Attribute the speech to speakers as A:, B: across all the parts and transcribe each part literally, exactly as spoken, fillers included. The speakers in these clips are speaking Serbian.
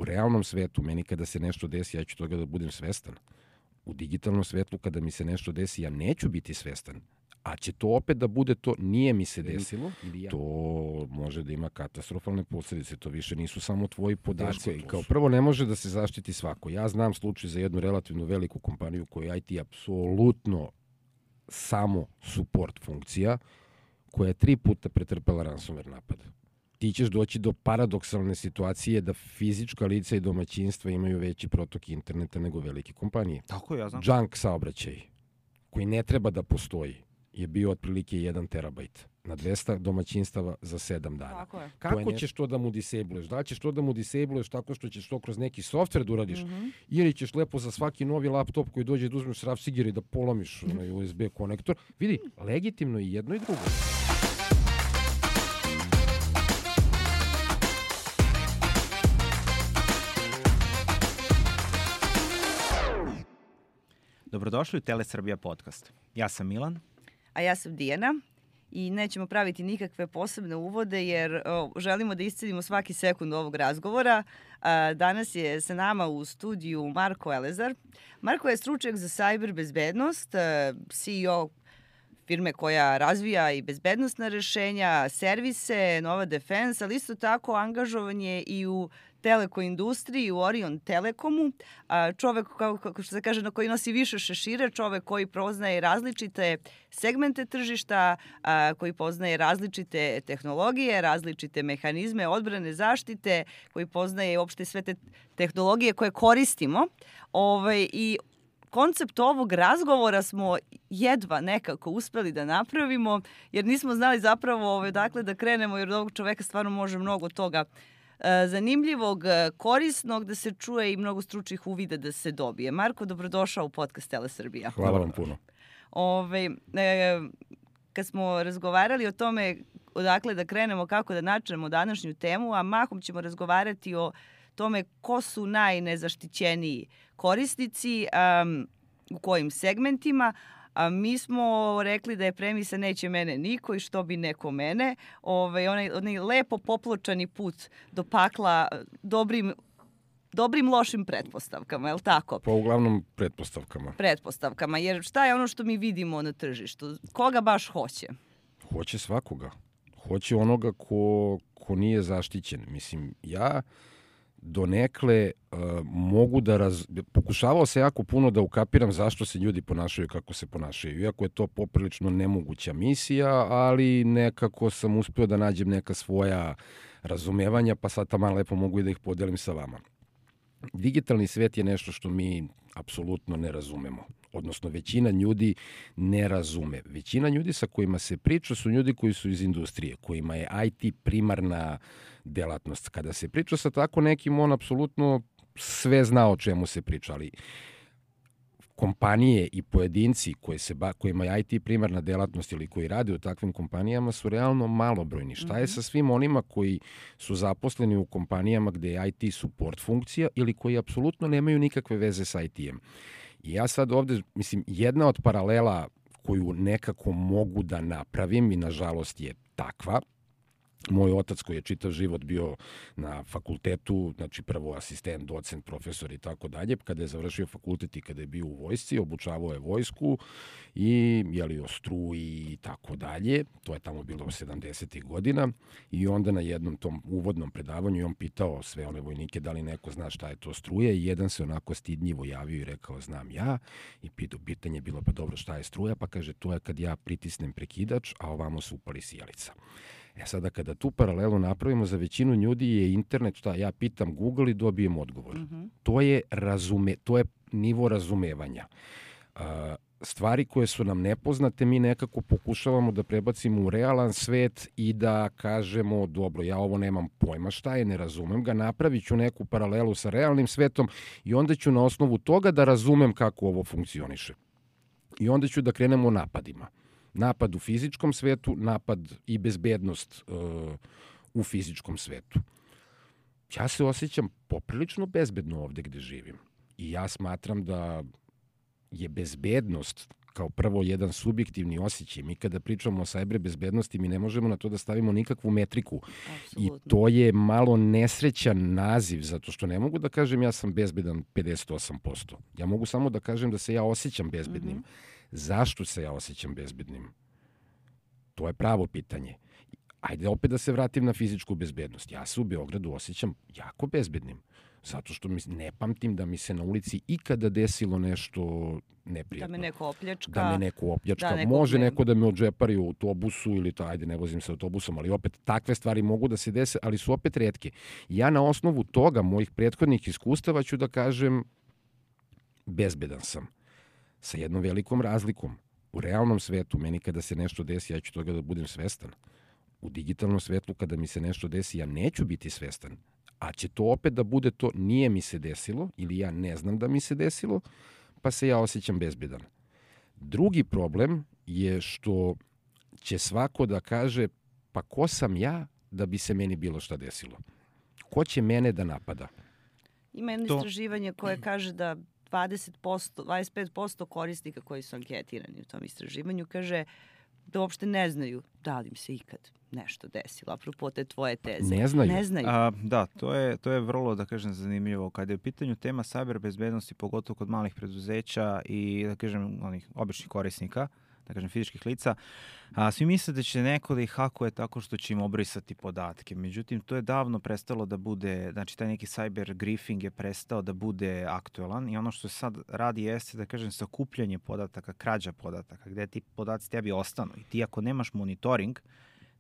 A: realnom svetu, meni kada se nešto desi, ja ću toga da budem svestan. U digitalnom svetu, kada mi se nešto desi, ja neću biti svestan. A će to opet da bude to, nije mi se desilo, to može da ima katastrofalne posljedice. To više nisu samo tvoji podaci. I kao prvo, ne može da se zaštiti svako. Ja znam slučaj za jednu relativno veliku kompaniju koja je I T apsolutno samo support funkcija, koja je tri puta pretrpela ransomware napad. Ti ćeš doći do paradoksalne situacije da fizička lica i domaćinstva imaju veći protok interneta nego velike kompanije.
B: Tako ja znam.
A: Junk saobraćaj, koji ne treba da postoji, je bio otprilike jedan terabajt na dvesta domaćinstava za sedam dana. Kako ćeš to da mu disabluješ? Da li ćeš to da mu disabluješ tako što ćeš to kroz neki softver da uradiš? Mm-hmm. Ili ćeš lepo za svaki novi laptop koji dođe da uzmeš rafsigir i da polomiš mm-hmm. onaj U S B konektor? Vidi, legitimno i jedno i drugo.
B: Dobrodošli u Telesrbija podcast. Ja sam Milan.
C: A ja sam Dijana i nećemo praviti nikakve posebne uvode jer o, želimo da iscedimo svaki sekund ovog razgovora. A, danas je sa nama u studiju Marko Elezar. Marko je stručnjak za cyber bezbednost, C E O firme koja razvija i bezbednostna rešenja, servise, Nova Defense, ali isto tako angažovan je i u teleko industriji, u Orion Telekomu. Čovek, kako što se kaže, na koji nosi više šešira, čovek koji poznaje različite segmente tržišta, koji poznaje različite tehnologije, različite mehanizme odbrane, zaštite, koji poznaje uopšte sve te tehnologije koje koristimo. Ovaj, i koncept ovog razgovora smo jedva nekako uspeli da napravimo, jer nismo znali zapravo ovaj, dakle da krenemo, jer od ovog čoveka stvarno može mnogo toga e, zanimljivog, korisnog da se čuje i mnogo stručnih uvida da se dobije. Marko, dobrodošao u podcast Telesrbija.
A: Hvala vam puno.
C: Ove, e, kad smo razgovarali o tome odakle da krenemo, kako da načnemo današnju temu, a mahom ćemo razgovarati o tome ko su najnezaštićeniji korisnici, um, u kojim segmentima. A mi smo rekli da je premisa neće mene niko i što bi neko mene. Ove, onaj, onaj lepo popločani put do pakla dobrim, dobrim lošim pretpostavkama, je li tako?
A: Pa uglavnom pretpostavkama.
C: Pretpostavkama, jer šta je ono što mi vidimo na tržištu? Koga baš hoće?
A: Hoće svakoga. Hoće onoga ko, ko nije zaštićen. Mislim, ja donekle uh, mogu da raz... pokušavao se jako puno da ukapiram zašto se ljudi ponašaju kako se ponašaju. Iako je to poprilično nemoguća misija, ali nekako sam uspio da nađem neka svoja razumevanja, pa sad tamo lepo mogu i da ih podelim sa vama. Digitalni svet je nešto što mi apsolutno ne razumemo. Odnosno, većina ljudi ne razume. Većina ljudi sa kojima se priča su ljudi koji su iz industrije, kojima je I T primarna delatnost. Kada se priča sa tako nekim, on apsolutno sve zna o čemu se priča, ali kompanije i pojedinci koji se ba, kojima je I T primarna delatnost ili koji rade u takvim kompanijama su realno malobrojni. Šta je sa svim onima koji su zaposleni u kompanijama gde je I T support funkcija ili koji apsolutno nemaju nikakve veze sa I T-em? I ja sad ovde, mislim, jedna od paralela koju nekako mogu da napravim i nažalost je takva. Moj otac koji je čitav život bio na fakultetu, znači prvo asistent, docent, profesor i tako dalje, kada je završio fakultet i kada je bio u vojsci, obučavao je vojsku i jeli o struji i tako dalje. To je tamo bilo sedamdesetih godina i onda na jednom tom uvodnom predavanju on pitao sve one vojnike da li neko zna šta je to struja i jedan se onako stidljivo javio i rekao znam ja i pitanje je bilo pa dobro šta je struja, pa kaže to je kad ja pritisnem prekidač, a ovamo se upali sijalica. E sada kada tu paralelu napravimo, za većinu ljudi je internet, šta ja pitam Google i dobijem odgovor. Mm-hmm. To je razume, to je nivo razumevanja. Uh, stvari koje su nam nepoznate mi nekako pokušavamo da prebacimo u realan svet i da kažemo dobro, ja ovo nemam pojma šta je, ne razumem ga, napravit ću neku paralelu sa realnim svetom i onda ću na osnovu toga da razumem kako ovo funkcioniše. I onda ću da krenemo napadima. Napad u fizičkom svetu, napad i bezbednost uh, u fizičkom svetu. Ja se osjećam poprilično bezbedno ovde gde živim. I ja smatram da je bezbednost kao prvo jedan subjektivni osjećaj. Mi kada pričamo o sajber bezbednosti, mi ne možemo na to da stavimo nikakvu metriku.
C: Apsolutno.
A: I to je malo nesrećan naziv, zato što ne mogu da kažem ja sam bezbedan pedeset osam posto. Ja mogu samo da kažem da se ja osjećam bezbednim. Mm-hmm. Zašto se ja osjećam bezbednim? To je pravo pitanje. Ajde opet da se vratim na fizičku bezbednost. Ja se u Beogradu osjećam jako bezbednim. Zato što mi, ne pamtim da mi se na ulici ikada desilo nešto neprijatno.
C: Da me neko opljačka.
A: Da me neko opljačka.
C: Da, neko
A: Može
C: ne...
A: neko da me odžepari u autobusu ili to, ajde, ne vozim se autobusom, ali opet takve stvari mogu da se dese, ali su opet retke. Ja na osnovu toga, mojih prethodnih iskustava, ću da kažem bezbedan sam. Sa jednom velikom razlikom. U realnom svetu, meni kada se nešto desi, ja ću toga da budem svestan. U digitalnom svetu, kada mi se nešto desi, ja neću biti svestan. A će to opet da bude to, nije mi se desilo, ili ja ne znam da mi se desilo, pa se ja osjećam bezbedan. Drugi problem je što će svako da kaže, pa ko sam ja da bi se meni bilo šta desilo? Ko će mene da napada?
C: Ima jedno
B: To...
C: istraživanje koje kaže da dvadeset posto, dvadeset pet posto korisnika koji su anketirani u tom istraživanju kaže da uopšte ne znaju da li im se ikad nešto desilo, apropo te tvoje teze.
A: Ne znaju.
C: Ne znaju.
B: A, da, to je, to je vrlo, da kažem, zanimljivo. Kada je u pitanju tema sajber bezbednosti, pogotovo kod malih preduzeća i, da kažem, onih običnih korisnika, da kažem, fizičkih lica, a, svi misle da će neko da ih hakuje tako što će im obrisati podatke. Međutim, to je davno prestalo da bude, znači taj neki cyber griefing je prestao da bude aktuelan i ono što se sad radi jeste, da kažem, sakupljanje podataka, krađa podataka, gde ti podaci tebi ostanu. I ti ako nemaš monitoring,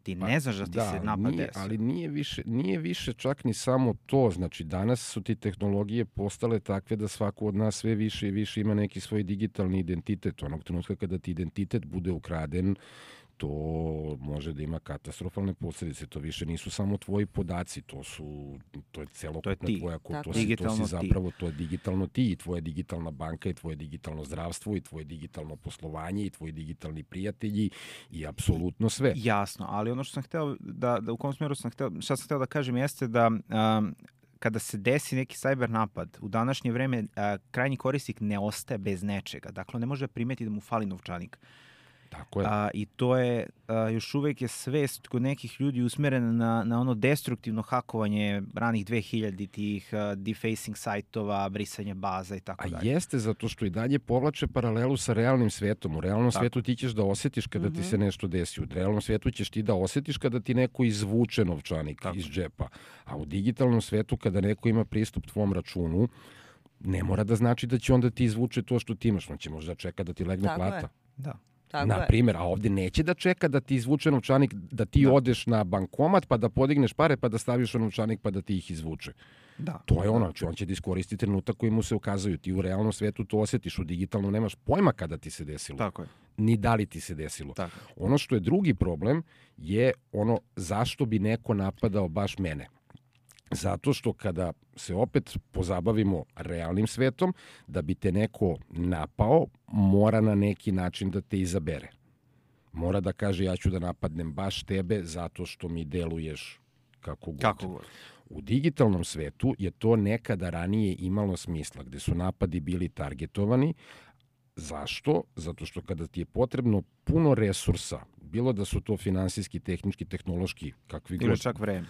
B: ti ne znaš da ti
A: da,
B: se napad
A: nije,
B: desi.
A: ali nije više, nije više čak ni samo to. Znači, danas su ti tehnologije postale takve da svako od nas sve više i više ima neki svoj digitalni identitet. Onog trenutka kada ti identitet bude ukraden, to može da ima katastrofalne posljedice. To više nisu samo tvoji podaci, to su to je celokupna tvoja kultura, to, si, to si zapravo to je digitalno ti i tvoja digitalna banka i tvoje digitalno zdravstvo i tvoje digitalno poslovanje i tvoji digitalni prijatelji i apsolutno sve.
B: Jasno, ali ono što sam hteo da, da u kom smjeru sam hteo, šta sam hteo da kažem jeste da um, kada se desi neki cyber napad, u današnje vreme uh, krajnji korisnik ne ostaje bez nečega. Dakle, ne može primeti da mu fali novčanik.
A: Tako je.
B: A, I to je, a, još uvek je svest kod nekih ljudi usmerena na, na ono destruktivno hakovanje ranih dve hiljade tih a, defacing sajtova, brisanje baza i tako dalje.
A: A jeste, zato što i dalje povlače paralelu sa realnim svetom. U realnom tako. svetu ti ćeš da osjetiš kada mm-hmm. ti se nešto desi. U realnom svetu ćeš ti da osjetiš kada ti neko izvuče novčanik tako. iz džepa. A u digitalnom svetu kada neko ima pristup tvom računu, ne mora da znači da će onda ti izvuče to što ti imaš. On će možda čeka da ti legne tako plata.
B: Je. Da.
C: Tako
A: na primjer, a ovdje neće da čeka da ti izvuče novčanik, da ti da. odeš na bankomat pa da podigneš pare pa da staviš u novčanik pa da ti ih izvuče.
B: Da.
A: To je ono, znači on će da iskoristi trenutak koji mu se ukazuju. Ti u realnom svetu to osjetiš, u digitalnom nemaš pojma kada ti se desilo.
B: Tako je.
A: Ni da li ti se desilo.
B: Tako.
A: Ono što je drugi problem je ono zašto bi neko napadao baš mene. Zato što kada se opet pozabavimo realnim svetom, da bi te neko napao, mora na neki način da te izabere. Mora da kaže ja ću da napadnem baš tebe zato što mi deluješ kako god.
B: Kako god.
A: U digitalnom svetu je to nekada ranije imalo smisla, gde su napadi bili targetovani. Zašto? Zato što kada ti je potrebno puno resursa, bilo da su to finansijski, tehnički, tehnološki, kakvi god.
B: Ili čak vreme.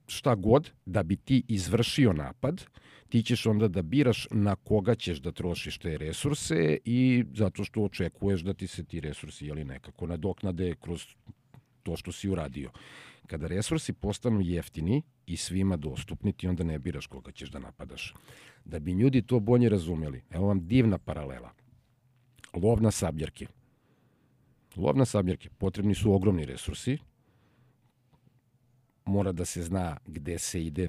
A: Šta god, da bi ti izvršio napad, ti ćeš onda da biraš na koga ćeš da trošiš te resurse i zato što očekuješ da ti se ti resursi jeli, nekako nadoknade kroz to što si uradio. Kada resursi postanu jeftini i svima dostupni, ti onda ne biraš koga ćeš da napadaš. Da bi ljudi to bolje razumeli, evo vam divna paralela. Lov na sabljarke. Lov na sabljarke. Potrebni su ogromni resursi. Mora da se zna gde se ide,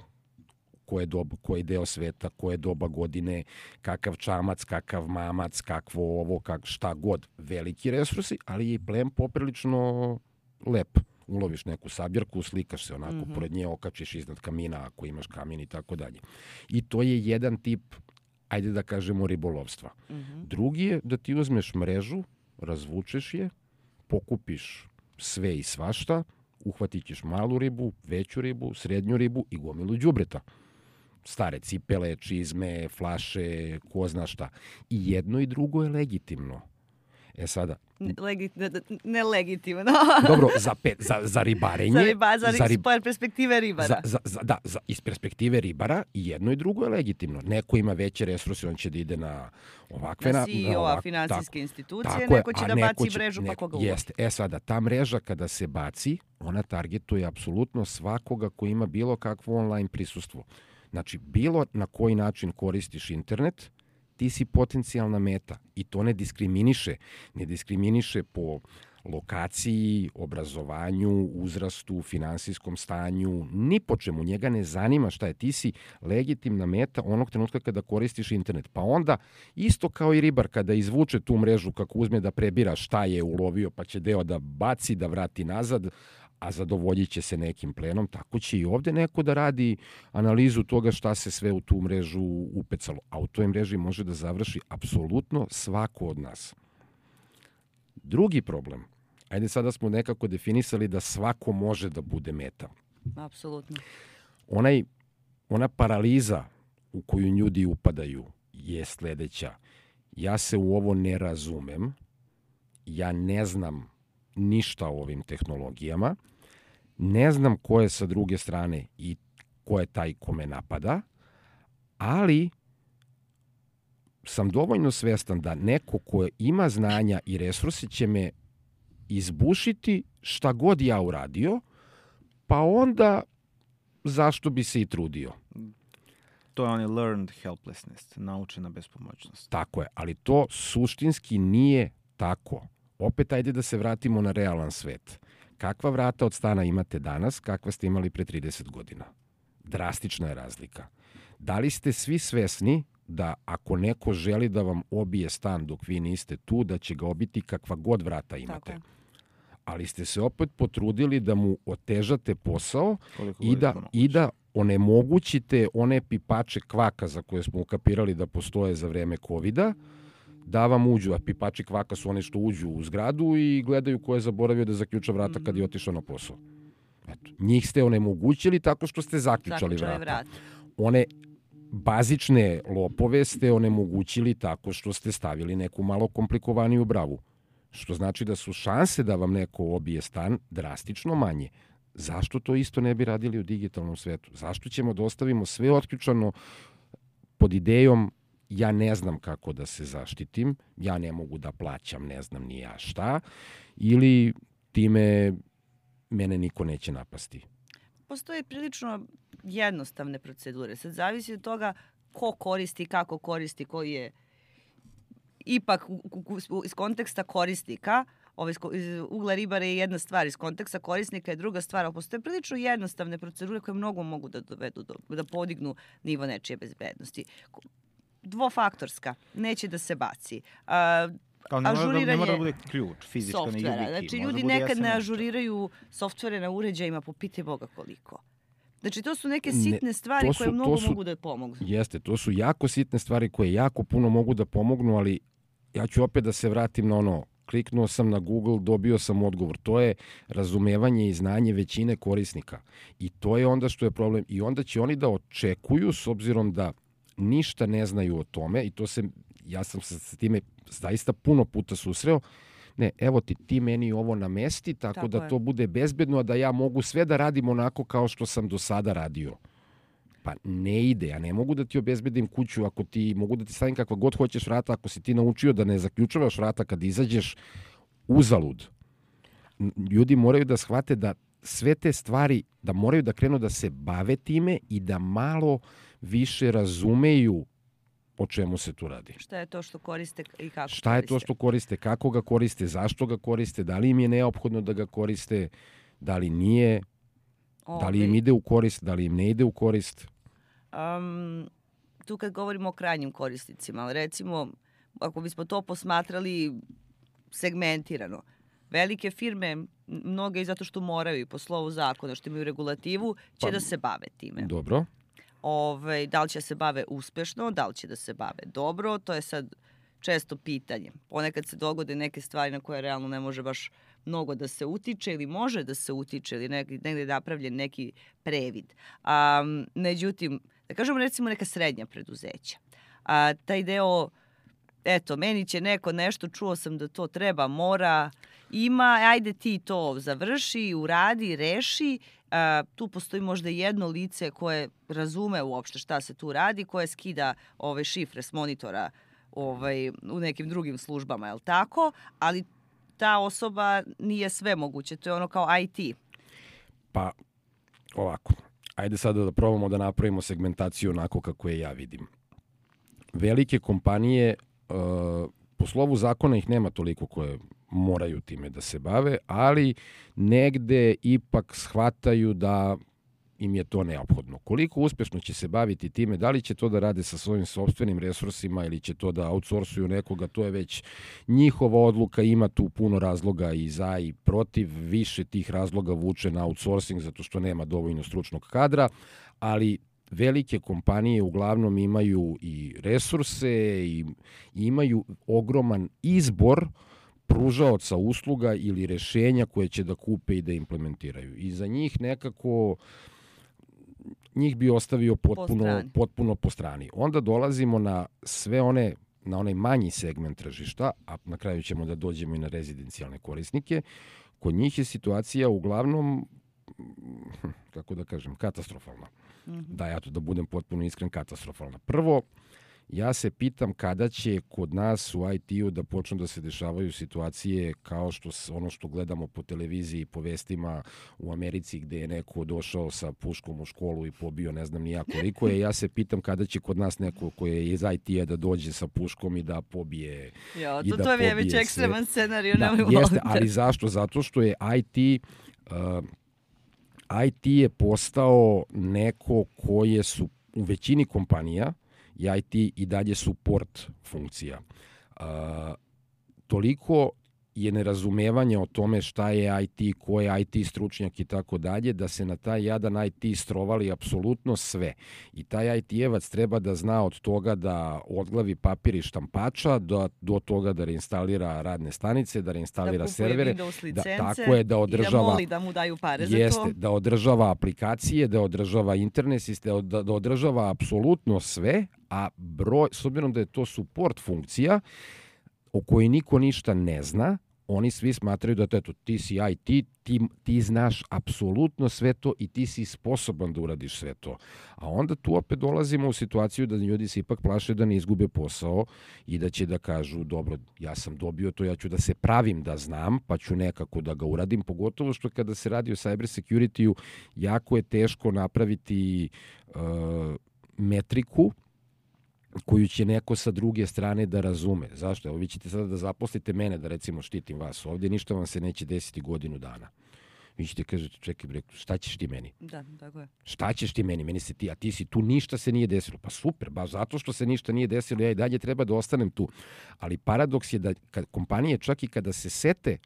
A: koje doba, koji deo sveta, koje doba godine, kakav čamac, kakav mamac, kakvo ovo, kak, šta god. Veliki resursi, ali je i plen poprilično lep. Uloviš neku sabljarku, slikaš se onako, mm-hmm. pored nje okačiš iznad kamina ako imaš kamin i tako dalje. I to je jedan tip, ajde da kažemo, ribolovstva. Mm-hmm. Drugi je da ti uzmeš mrežu, razvučeš je, pokupiš sve i svašta, uhvatit ćeš malu ribu, veću ribu, srednju ribu i gomilu đubreta. Stare cipele, čizme, flaše, ko zna šta. I jedno i drugo je legitimno. E sada...
C: Legi, ne legitimno.
A: Dobro, za, pe, za, za ribarenje...
C: Za, riba, za,
A: za rib...
C: perspektive ribara.
A: Za, za, za, da, za, iz perspektive ribara i jedno i drugo je legitimno. Neko ima veće resurse, on će da ide na ovakve...
C: Na C E O-a finansijske institucije, neko će da baci će, mrežu pa koga uloži.
A: Jeste. E sada, ta mreža kada se baci, ona targetuje apsolutno svakoga ko ima bilo kakvo online prisustvo. Znači, bilo na koji način koristiš internet, ti si potencijalna meta i to ne diskriminiše. Ne diskriminiše po lokaciji, obrazovanju, uzrastu, finansijskom stanju, ni po čemu. Njega ne zanima šta je. Ti si legitimna meta onog trenutka kada koristiš internet. Pa onda, isto kao i ribar, kada izvuče tu mrežu, kako uzme da prebira šta je ulovio, pa će deo da baci, da vrati nazad, a zadovoljit će se nekim plenom, tako će i ovde neko da radi analizu toga šta se sve u tu mrežu upecalo. A u toj mreži može da završi apsolutno svako od nas. Drugi problem, ajde sada smo nekako definisali da svako može da bude meta.
C: Apsolutno.
A: Onaj, ona paraliza u koju ljudi upadaju je sledeća. Ja se u ovo ne razumem, ja ne znam ništa o ovim tehnologijama, ne znam ko je sa druge strane i ko je taj ko me napada, ali sam dovoljno svestan da neko ko ima znanja i resurse će me izbušiti šta god ja uradio, pa onda zašto bi se i trudio.
B: To je onaj learned helplessness, naučena bespomoćnost.
A: Tako je, ali to suštinski nije tako. Opet ajde da se vratimo na realan svet. Kakva vrata od stana imate danas, kakva ste imali pre trideset godina? Drastična je razlika. Da li ste svi svesni da ako neko želi da vam obije stan dok vi niste tu, da će ga obiti kakva god vrata imate? Ali ste se opet potrudili da mu otežate posao i da, i da onemogućite one pipače kvaka za koje smo ukapirali da postoje za vreme kovida, da vam uđu, a pipači kvaka su one što uđu u zgradu i gledaju ko je zaboravio da zaključa vrata kad je otišao na posao. Eto, njih ste onemogućili tako što ste zaključali vrata. vrata. One bazične lopove ste onemogućili tako što ste stavili neku malo komplikovaniju bravu. Što znači da su šanse da vam neko obije stan drastično manje. Zašto to isto ne bi radili u digitalnom svetu? Zašto ćemo da ostavimo sve otključano pod idejom ja ne znam kako da se zaštitim, ja ne mogu da plaćam, ne znam ni ja šta, ili time mene niko neće napasti?
C: Postoje prilično jednostavne procedure. Sad zavisi od toga ko koristi, kako koristi, koji je ipak iz konteksta korisnika, ovaj, iz ugla ribara je jedna stvar, iz konteksta korisnika je druga stvar, ali postoje prilično jednostavne procedure koje mnogo mogu da dovedu, do, da podignu nivo nečije bezbednosti. Dvofaktorska, neće da se baci. A,
B: Kao ne mora, da, ne mora da bude ključ, fizičko
C: softvera.
B: ne
C: Znači, ljudi
B: da
C: nekad ne ažuriraju softvere na uređajima, po pitaj Boga koliko. Znači, to su neke sitne ne, stvari su, koje mnogo su, mogu da pomognu.
A: Jeste, to su jako sitne stvari koje jako puno mogu da pomognu, ali ja ću opet da se vratim na ono, kliknuo sam na Google, dobio sam odgovor. To je razumevanje i znanje većine korisnika. I to je onda što je problem. I onda će oni da očekuju, s obzirom da ništa ne znaju o tome, i to se, ja sam se s time zaista puno puta susreo, ne, evo ti, ti meni ovo namesti, tako, tako da je. To bude bezbedno, a da ja mogu sve da radim onako kao što sam do sada radio. Pa ne ide, ja ne mogu da ti obezbedim kuću ako ti, mogu da ti stavim kakva god hoćeš vrata, ako si ti naučio da ne zaključavaš vrata kad izađeš, uzalud. Ljudi moraju da shvate da sve te stvari, da moraju da krenu da se bave time i da malo više razumeju o čemu se tu radi.
C: Šta je to što koriste i kako
A: Šta koriste? je to što koriste, kako ga koriste, zašto ga koriste, da li im je neophodno da ga koriste, da li nije, Ovi. da li im ide u korist, da li im ne ide u korist.
C: Um, tu kad govorimo o krajnjim korisnicima, recimo, ako bismo to posmatrali segmentirano, velike firme, mnoge i zato što moraju i po slovu zakona, što imaju regulativu, će pa, da se bave time.
A: Dobro.
C: Ove, da li će se bave uspešno, da li će da se bave dobro, to je sad često pitanje. Ponekad se dogode neke stvari na koje realno ne može baš mnogo da se utiče ili može da se utiče ili negdje, negdje napravljen neki previd. A, međutim, da kažemo recimo neka srednja preduzeća. A, taj deo eto, meni će neko nešto, čuo sam da to treba, mora, ima, ajde ti to završi, uradi, reši. A, tu postoji možda jedno lice koje razume uopšte šta se tu radi, koje skida ove šifre s monitora ovaj, u nekim drugim službama, je li tako? Ali ta osoba nije sve moguće, to je ono kao I T.
A: Pa, ovako, ajde sada da probamo da napravimo segmentaciju onako kako je ja vidim. Velike kompanije, uh, po slovu zakona ih nema toliko koje moraju time da se bave, ali negde ipak shvataju da im je to neophodno. Koliko uspešno će se baviti time, da li će to da rade sa svojim sopstvenim resursima ili će to da outsourcuju nekoga, to je već njihova odluka, ima tu puno razloga i za i protiv, više tih razloga vuče na outsourcing zato što nema dovoljno stručnog kadra, ali velike kompanije uglavnom imaju i resurse i imaju ogroman izbor pružaoca usluga ili rešenja koje će da kupe i da implementiraju. I za njih nekako njih bi ostavio potpuno po potpuno po strani. Onda dolazimo na sve one na onaj manji segment tržišta, a na kraju ćemo da dođemo i na rezidencijalne korisnike. Kod njih je situacija uglavnom, kako da kažem, katastrofalna. Mm-hmm. Da, ja to da budem potpuno iskren, katastrofalna. Prvo, ja se pitam kada će kod nas u I T-u da počnu da se dešavaju situacije kao što ono što gledamo po televiziji i po vestima u Americi gde je neko došao sa puškom u školu i pobio ne znam ni ja koliko je. Ja se pitam kada će kod nas neko ko je iz I T-a da dođe sa puškom i da pobije
C: jo,
A: i
C: to,
A: da
C: to mi je već ekstreman scenarij. Da, jeste,
A: ali zašto? Zato što je I T... Uh, I T je postao neko koje su u većini kompanija i I T i dalje support funkcija. Uh, toliko je nerazumevanje o tome šta je I T, ko je I T stručnjak i tako dalje, da se na taj jadan I T strovali apsolutno sve. I taj I T-evac treba da zna od toga da odglavi papir i štampača do, do toga da reinstalira radne stanice, da reinstalira
C: da
A: servere,
C: da,
A: tako je, da održava,
C: i da moli da mu daju pare
A: jeste,
C: za to.
A: Da održava aplikacije, da održava internet sistem, da, da održava apsolutno sve, a broj, s obzirom da je to support funkcija, o kojoj niko ništa ne zna, oni svi smatraju da eto, ti si I T, ti, ti znaš apsolutno sve to i ti si sposoban da uradiš sve to. A onda tu opet dolazimo u situaciju da ljudi se ipak plaše da ne izgube posao i da će da kažu, dobro, ja sam dobio to, ja ću da se pravim da znam, pa ću nekako da ga uradim, pogotovo što kada se radi o cyber security-u, jako je teško napraviti uh, metriku koju će neko sa druge strane da razume. Zašto? Evo vi ćete sada da zaposlite mene da recimo štitim vas ovdje, ništa vam se neće desiti godinu dana. Vi ćete kažete, čekaj bre, šta ćeš ti meni?
C: Da, tako je.
A: Šta ćeš ti meni? Meni se ti, a ti si tu, ništa se nije desilo. Pa super, baš zato što se ništa nije desilo, ja i dalje treba da ostanem tu. Ali paradoks je da kad kompanije čak i kada se sete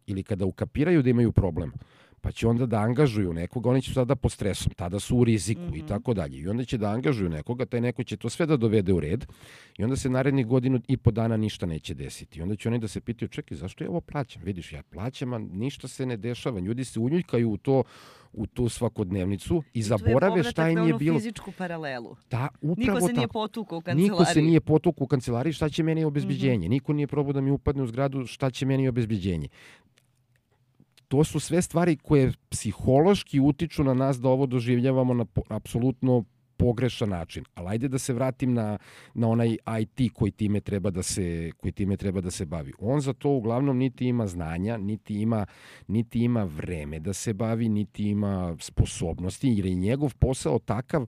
A: ili kada ukapiraju da imaju problem, pa će onda da angažuju nekoga, oni će sada pod stresom, tada su u riziku mm-hmm. i tako dalje. I onda će da angažuju nekoga, taj neko će to sve da dovede u red i onda se narednih godinu i po dana ništa neće desiti. I onda će oni da se pitaju, čekaj, zašto ja ovo plaćam? Vidiš, ja plaćam, a ništa se ne dešava. Ljudi se unjuljkaju u to, u tu svakodnevnicu i, I zaborave šta im je bilo.
C: Fizičku paralelu.
A: Da, upravo
C: Niko se
A: tako.
C: nije potukao u kancelariji.
A: Niko se nije potukao u kancelariji, šta će meni obezbeđenje? Mm-hmm. Niko nije probao da mi upadne u zgradu, šta će meni obezbeđenje? To su sve stvari koje psihološki utiču na nas da ovo doživljavamo na po, apsolutno pogrešan način. Ali ajde da se vratim na, na onaj I T koji time, treba da se, koji time treba da se bavi. On za to uglavnom niti ima znanja, niti ima, niti ima vreme da se bavi, niti ima sposobnosti, jer je njegov posao takav.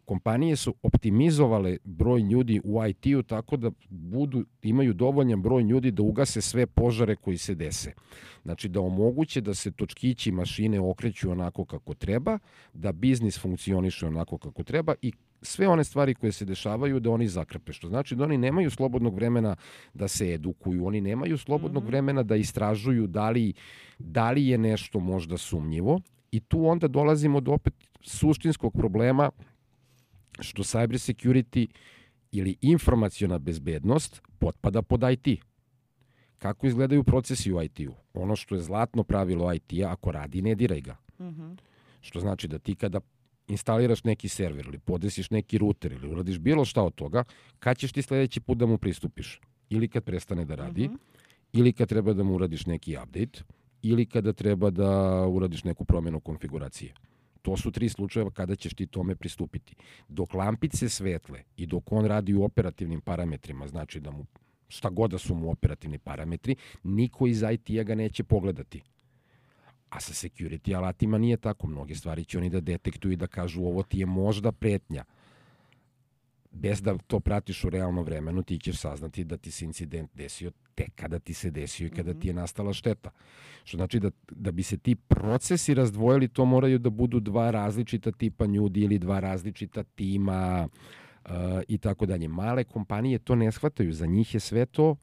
A: Kompanije su optimizovale broj ljudi u I T-u tako da budu, imaju dovoljan broj ljudi da ugase sve požare koji se dese. Znači da omoguće da se točkići mašine okreću onako kako treba, da biznis funkcioniše onako kako treba i sve one stvari koje se dešavaju da oni zakrpe. Što znači da oni nemaju slobodnog vremena da se edukuju, oni nemaju slobodnog mm-hmm. vremena da istražuju da li, da li je nešto možda sumnjivo i tu onda dolazimo do opet suštinskog problema što cyber security ili informaciona bezbednost potpada pod I T. Kako izgledaju procesi u I T-u? Ono što je zlatno pravilo I T-a, ako radi, ne diraj ga. Mm-hmm. Što znači da ti kada instaliraš neki server ili podesiš neki router ili uradiš bilo šta od toga, kad ćeš ti sledeći put da mu pristupiš? ili kad prestane da radi,
C: Mhm.
A: ili kad treba da mu uradiš neki update, ili kada treba da uradiš neku promjenu konfiguracije. To su tri slučajeva kada ćeš ti tome pristupiti. Dok lampice svetle i dok on radi u operativnim parametrima, znači da mu šta god da su mu operativni parametri, niko iz I T-a ga neće pogledati. A sa security alatima nije tako. Mnoge stvari će oni da detektuju i da kažu ovo ti je možda pretnja. Bez da to pratiš u realnom vremenu, ti ćeš saznati da ti se incident desio tek kada ti se desio i kada ti je nastala šteta. Što znači da, da bi se ti procesi razdvojili, to moraju da budu dva različita tipa ljudi ili dva različita tima uh, i tako dalje. Male kompanije to ne shvataju. Za njih je sve to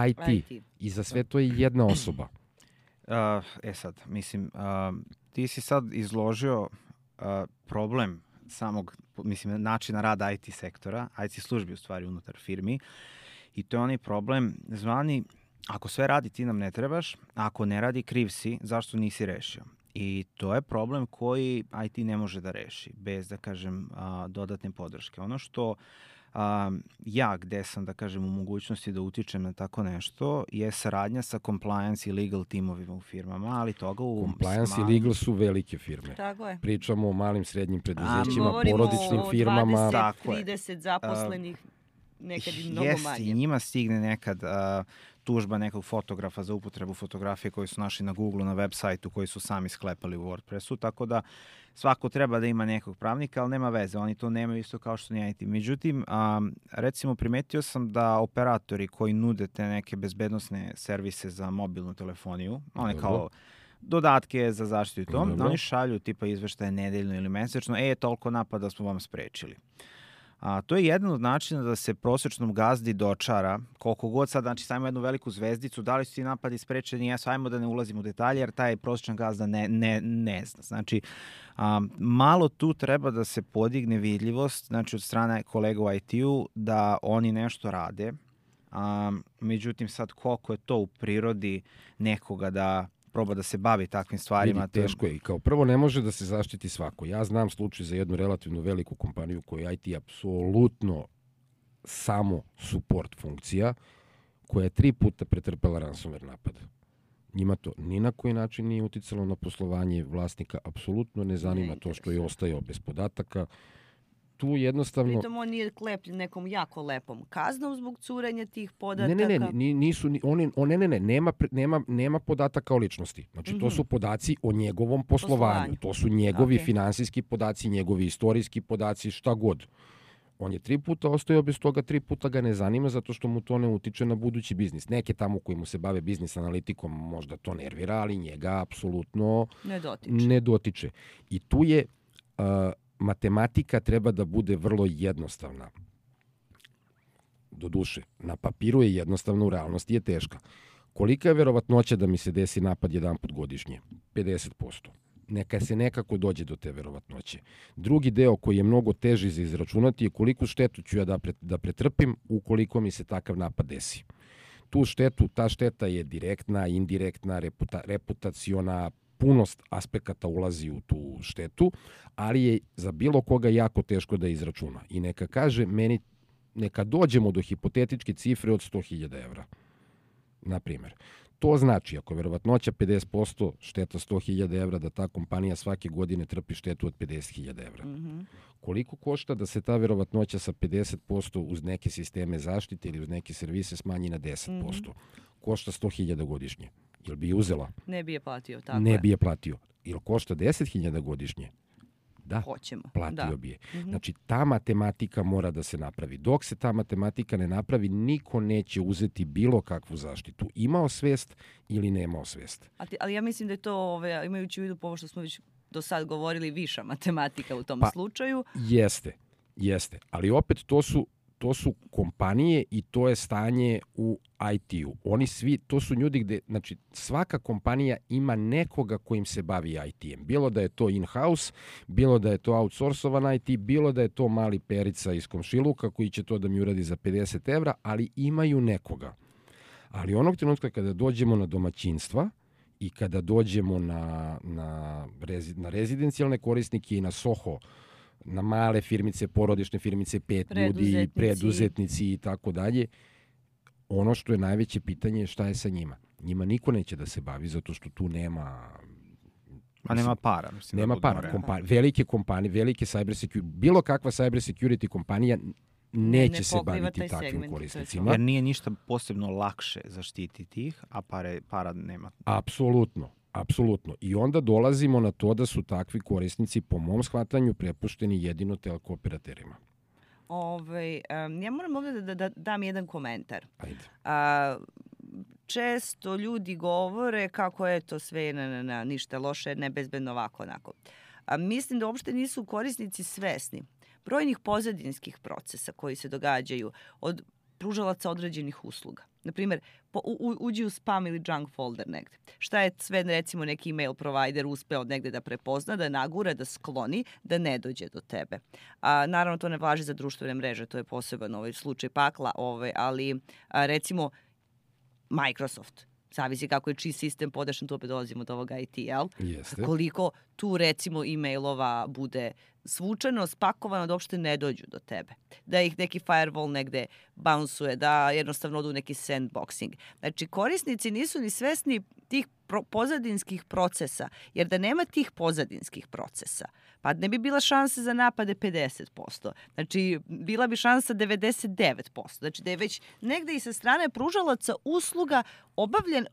A: I T.
C: I T.
A: I za sve to je jedna osoba.
B: Uh, e sad, mislim, uh, ti si sad izložio uh, problem samog, mislim, načina rada I T sektora, I T službi u stvari unutar firmi, i to je onaj problem zvani, ako sve radi ti nam ne trebaš, a ako ne radi kriv si, zašto nisi rešio? I to je problem koji I T ne može da reši, bez, da kažem, a, dodatne podrške. Ono što a, ja, gde sam, da kažem, u mogućnosti da utičem na tako nešto, je saradnja sa compliance i legal timovima u firmama, ali toga u...
A: Compliance
B: malim...
A: i legal su velike firme.
C: Tako je.
A: Pričamo o malim, srednjim preduzećima,
C: Govorimo
A: porodičnim
C: o
A: firmama.
C: dvadeset,
B: Tako je.
C: trideset zaposlenih, nekad i mnogo
B: Jeste,
C: manje.
B: i njima stigne nekad uh, tužba nekog fotografa za upotrebu fotografije koji su našli na Google, na web sajtu, koji su sami sklepali u WordPressu, tako da svako treba da ima nekog pravnika, ali nema veze, oni to nemaju isto kao što ni I T. Međutim, um, recimo primetio sam da operatori koji nude te neke bezbednosne servise za mobilnu telefoniju, one
A: Dobro.
B: kao dodatke za zaštitu i to,
A: Dobro.
B: oni šalju tipa izveštaje nedeljno ili mesečno, e, toliko napada smo vam sprečili. A, to je jedan od načina da se prosječnom gazdi dočara, koliko god sad, znači sajmo jednu veliku zvezdicu, da li su ti napadi sprečeni, jesu, ajmo da ne ulazimo u detalje, jer taj prosječan gazda ne, ne, ne zna. Znači, a, malo tu treba da se podigne vidljivost, znači od strane kolega u I T-u, da oni nešto rade, a, međutim sad koliko je to u prirodi nekoga da proba da se bavi takvim stvarima.
A: Vidi, teško je. I kao prvo ne može da se zaštiti svako. Ja znam slučaj za jednu relativno veliku kompaniju koja je I T apsolutno samo support funkcija, koja je tri puta pretrpela ransomware napad. Njima to ni na koji način nije uticalo na poslovanje vlasnika, apsolutno ne zanima
C: Ne
A: to što je ostajao bez podataka. Tu jednostavno...
C: Pritom on nije klepljen nekom jako lepom kaznom zbog curenja tih podataka.
A: Ne, ne, ne, ni- nisu, ni- oni, on, ne, ne, ne, nema, pre- nema, nema podataka o ličnosti. Znači, to su podaci o njegovom poslovanju.
C: Poslovanju.
A: To su njegovi
C: Ok.
A: finansijski podaci, njegovi istorijski podaci, šta god. On je tri puta ostajao bez toga, tri puta ga ne zanima zato što mu to ne utiče na budući biznis. Neke tamo koji mu se bave biznis analitikom možda to nervira, ali njega apsolutno
C: Ne dotiče.
A: ne dotiče. I tu je uh, matematika treba da bude vrlo jednostavna. Doduše, na papiru je jednostavno, u realnosti je teška. Kolika je verovatnoća da mi se desi napad jedan put godišnje? pedeset posto. Neka se nekako dođe do te verovatnoće. Drugi deo koji je mnogo teži za izračunati je koliko štetu ću ja da, pre, da pretrpim ukoliko mi se takav napad desi. Tu štetu, ta šteta je direktna, indirektna, reputa, reputaciona, puno aspekata ulazi u tu štetu, ali je za bilo koga jako teško da izračuna. I neka kaže meni, neka dođemo do hipotetičke cifre od sto hiljada evra. Na primjer. To znači, ako je verovatnoća pedeset posto, šteta sto hiljada evra, da ta kompanija svake godine trpi štetu od pedeset hiljada evra.
C: Mhm.
A: Koliko košta da se ta verovatnoća sa pedeset posto uz neke sisteme zaštite ili uz neke servise smanji na deset posto? Košta sto hiljada godišnje. Jel bi je uzela?
C: Ne bi je platio, tako
A: Ne
C: je.
A: bi je platio. Jel košta deset hiljada godišnje? Da.
C: Hoćemo.
A: Platio
C: Da.
A: bi je. Znači, ta matematika mora da se napravi. Dok se ta matematika ne napravi, niko neće uzeti bilo kakvu zaštitu. Imao svest ili nemao svest.
C: Ali, ali ja mislim da je to, ove, imajući u vidu po ovo što smo već do sad govorili, viša matematika u tom
A: Pa,
C: slučaju.
A: Jeste, jeste. Ali opet to su, to su kompanije i to je stanje u I T-u. Oni svi, to su ljudi gde, znači svaka kompanija ima nekoga kojim se bavi I T-em. Bilo da je to in-house, bilo da je to outsourcovan I T, bilo da je to mali perica iz komšiluka koji će to da mi uradi za pedeset evra, ali imaju nekoga. Ali onog trenutka kada dođemo na domaćinstva i kada dođemo na, na, rezi, na rezidencijalne korisnike i na Soho, na male firmice, porodične firmice, pet ljudi,
C: Preduzetnici.
A: preduzetnici i tako dalje, ono što je najveće pitanje je šta je sa njima. Njima niko neće da se bavi zato što tu nema...
B: A nema para. Mislim,
A: nema
B: da
A: para. Kompa velike kompanije, velike cyber security, bilo kakva cyber security kompanija neće ne se baviti takvim segment, korisnicima.
B: Jer nije ništa posebno lakše zaštititi ih, a pare, para nema.
A: Apsolutno. Apsolutno. I onda dolazimo na to da su takvi korisnici, po mom shvatanju, prepušteni jedino telekooperaterima.
C: Ove, um, ja moram ovdje da, da, da dam jedan komentar.
A: Ajde.
C: A, često ljudi govore kako je to sve na, na, na, ništa loše, nebezbedno, ovako, onako. A, mislim da uopšte nisu korisnici svesni brojnih pozadinskih procesa koji se događaju od pružalaca određenih usluga. Naprimjer, po, u, uđi u spam ili junk folder negde. Šta je sve, recimo, neki email provider uspeo negde da prepozna, da nagura, da skloni, da ne dođe do tebe. A, naravno, to ne važi za društvene mreže, to je poseban ovaj slučaj pakla, ovaj, ali a, recimo Microsoft. Zavisi kako je čiji sistem podešan, tu opet dolazimo do ovoga I T, jel?
A: Jeste.
C: Koliko tu, recimo, e-mailova bude svučeno, spakovano da uopšte ne dođu do tebe. Da ih neki firewall negde bounsuje, da jednostavno odu neki sandboxing. Znači, korisnici nisu ni svesni tih pro pozadinskih procesa, jer da nema tih pozadinskih procesa, pa ne bi bila šansa za napade pedeset posto. Znači, bila bi šansa devedeset devet posto. Znači, da je već negde i sa strane pružalaca usluga obavljen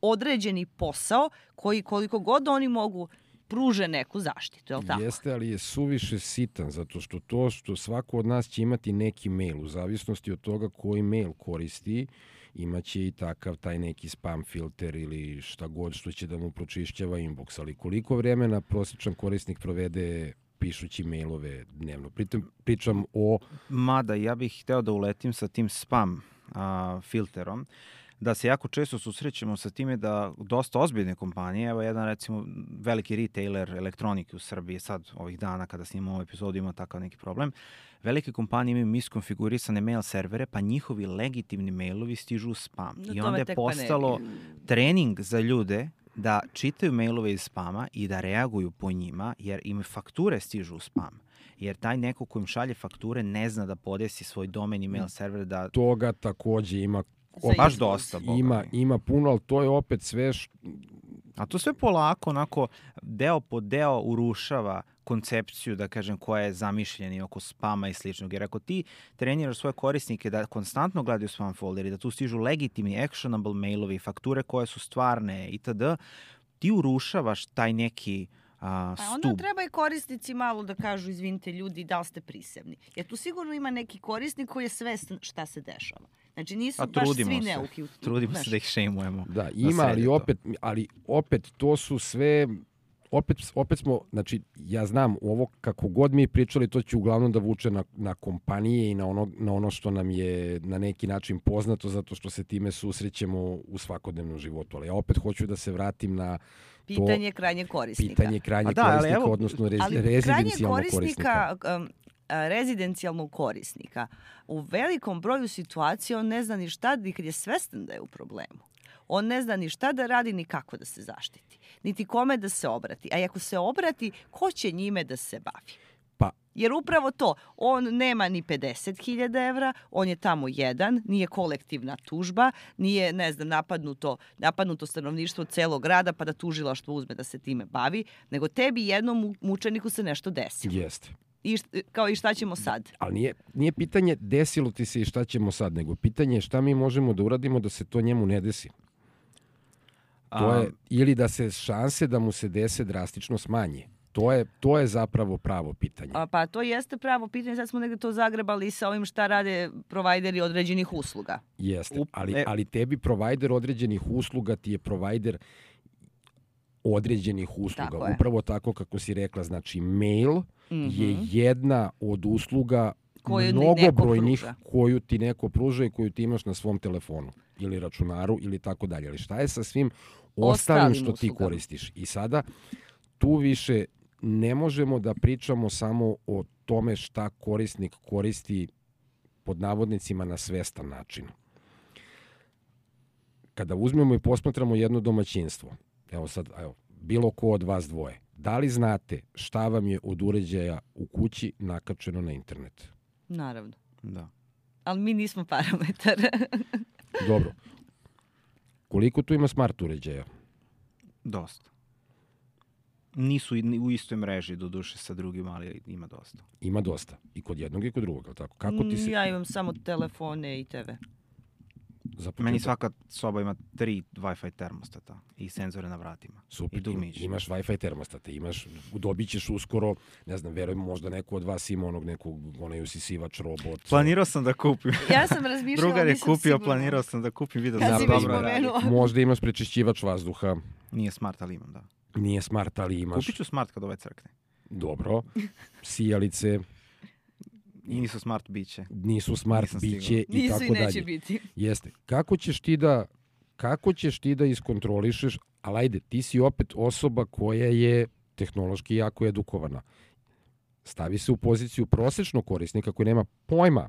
C: određeni posao koji koliko god oni mogu pruže neku zaštitu, je li tako?
A: Jeste, ali je suviše sitan, zato što to što svako od nas će imati neki mail, u zavisnosti od toga koji mail koristi, imaće i takav taj neki spam filter ili šta god što će da mu pročišćava inbox, ali koliko vremena prosječan korisnik provede pišući mailove dnevno. Pritom pričam o...
B: Mada, ja bih hteo da uletim sa tim spam a, filterom, da se jako često susrećemo sa time da dosta ozbiljne kompanije, evo jedan recimo veliki retailer elektronike u Srbiji, sad ovih dana kada snimamo ovu epizodu ima takav neki problem, velike kompanije imaju miskonfigurisane mail servere, pa njihovi legitimni mailovi stižu u spam.
C: No,
B: I onda je postalo trening za ljude da čitaju mailove iz spama i da reaguju po njima, jer im fakture stižu u spam. Jer taj neko ko im šalje fakture ne zna da podesi svoj domen i mail server da...
A: Toga takođe ima
B: O, baš dosta.
A: Ima, ima puno, ali to je opet sve... Š...
B: A to sve polako, onako, deo po deo urušava koncepciju, da kažem, koja je zamišljena oko spama i sličnog. Jer ako ti treniraš svoje korisnike da konstantno gledaju spam folder i da tu stižu legitimni actionable mailovi, fakture koje su stvarne itd., ti urušavaš taj neki a,
C: stup.
B: A
C: onda treba i korisnici malo da kažu, izvinite ljudi, da li ste prisebni. Jer tu sigurno ima neki korisnik koji je svestan šta se dešava. Znači nisu
B: A
C: baš svi
B: se.
C: neuki.
B: Trudimo znaš. se da ih šejmujemo.
A: Da, ima, ali opet, ali opet to su sve... Opet, opet smo, znači, ja znam, ovo kako god mi pričali, to će uglavnom da vuče na, na kompanije i na ono, na ono što nam je na neki način poznato, zato što se time susrećemo u svakodnevnom životu. Ali ja opet hoću da se vratim na
C: pitanje
A: to,
C: krajnjeg korisnika.
A: Pitanje krajnjeg da, korisnika, evo, odnosno rez, rezidencijalnog korisnika. korisnika
C: um, rezidencijalnog korisnika, u velikom broju situacija on ne zna ni šta, ni kad je svestan da je u problemu. On ne zna ni šta da radi, ni kako da se zaštiti. Niti kome da se obrati. A ako se obrati, ko će njime da se bavi?
A: Pa.
C: Jer upravo to, on nema ni pedeset hiljada evra, on je tamo jedan, nije kolektivna tužba, nije, ne znam, napadnuto, napadnuto stanovništvo celog grada pa da tužilaštvo uzme da se time bavi, nego tebi jednom mučeniku se nešto desilo.
A: Jeste.
C: I šta, kao i šta ćemo sad?
A: Ali nije, nije pitanje desilo ti se i šta ćemo sad, nego pitanje je šta mi možemo da uradimo da se to njemu ne desi. To je, ili da se šanse da mu se dese drastično smanje. To je, to je zapravo pravo pitanje.
C: A, pa to jeste pravo pitanje, sad smo negde to zagrebali sa ovim šta rade provajderi određenih usluga.
A: Jeste, ali, ali tebi provajder određenih usluga ti je provajder određenih usluga.
C: Tako
A: Upravo tako kako si rekla, znači mail mm-hmm. je jedna od usluga koju mnogobrojnih koju ti neko pruža i koju ti imaš na svom telefonu ili računaru ili tako dalje. Ali šta je sa svim ostalim što ti koristiš? I sada tu više ne možemo da pričamo samo o tome šta korisnik koristi pod navodnicima na svestan način. Kada uzmemo i posmatramo jedno domaćinstvo, evo sad, evo, bilo ko od vas dvoje, da li znate šta vam je od uređaja u kući nakačeno na internet?
C: Naravno.
B: Da.
C: Ali mi nismo parametar.
A: Dobro. Koliko tu ima smart uređaja?
B: Dosta. Nisu i- u istoj mreži, do duše, sa drugim, ali ima dosta.
A: Ima dosta. I kod jednog i kod drugog, ali tako? Kako ti se...
C: Ja imam samo telefone i te ve.
A: za
B: Meni
A: početak-
B: svaka soba ima tri Wi-Fi termostata i senzore na vratima.
A: Super,
B: I dugmić.
A: imaš Wi-Fi termostate, imaš, dobit ćeš uskoro, ne znam, verujem, možda neko od vas ima onog nekog, onaj usisivač robot.
B: Planirao sam da kupim.
C: Ja sam razmišljala,
B: Drugar je
C: nisam
B: kupio,
C: sigurna.
B: planirao sam da kupim, vidio
C: Kad
B: sam
C: si
B: da
C: već
B: dobro radi.
C: pomenuo.
A: Možda imaš prečišćivač vazduha,
B: Nije smart, ali imam, da.
A: nije smart, ali imaš.
B: Kupit ću smart kad ovaj crkne.
A: Dobro. Sijalice
B: I nisu smart biće.
A: nisu smart,
B: Nisam stigao.
A: biće i
C: Nisu
A: tako
C: i neće
A: dalje.
C: biti.
A: Jeste. Kako ćeš ti da kako ćeš ti da iskontrolišeš, ali ajde, ti si opet osoba koja je tehnološki jako edukovana. Stavi se u poziciju prosečnog korisnika koji nema pojma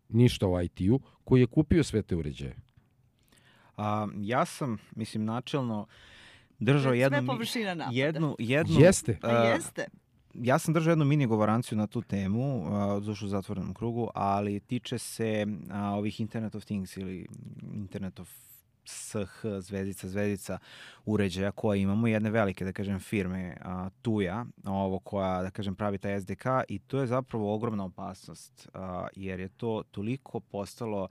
A: ništa o I T-u, koji je kupio sve te uređaje.
B: A, ja sam, mislim, načelno držao
C: Sve
B: jednu... mi-
C: površina napada.
B: Jednu, jednu,
A: Jeste.
C: Pa
B: a,
C: jeste.
B: ja sam držao jednu mini govораnciju na tu temu, a, dušu u zatvorenom krugu, ali tiče se a, ovih Internet of Things ili Internet of S H, zvezdica, zvezdica uređaja koje imamo, jedne velike, da kažem, firme a, Tuja, ovo koja, da kažem, pravi taj S D K i to je zapravo ogromna opasnost, a, jer je to toliko postalo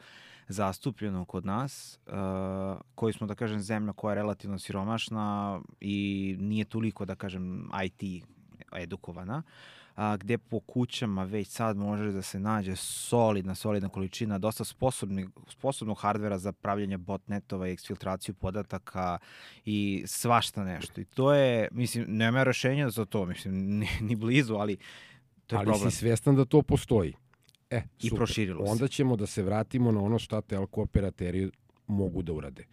B: zastupljeno kod nas, a, koji smo, da kažem, zemlja koja je relativno siromašna i nije toliko, da kažem, I T edukovana, a, gde po kućama već sad može da se nađe solidna, solidna količina dosta sposobni, sposobnog hardvera za pravljanje botnetova i eksfiltraciju podataka i svašta nešto. I to je, mislim, nema rešenja za to, mislim, ni, ni blizu, ali to je
A: ali
B: problem.
A: si svestan da to postoji. E,
B: I
A: super.
B: proširilo se.
A: Onda ćemo da se vratimo na ono šta telko operateri mogu da urade.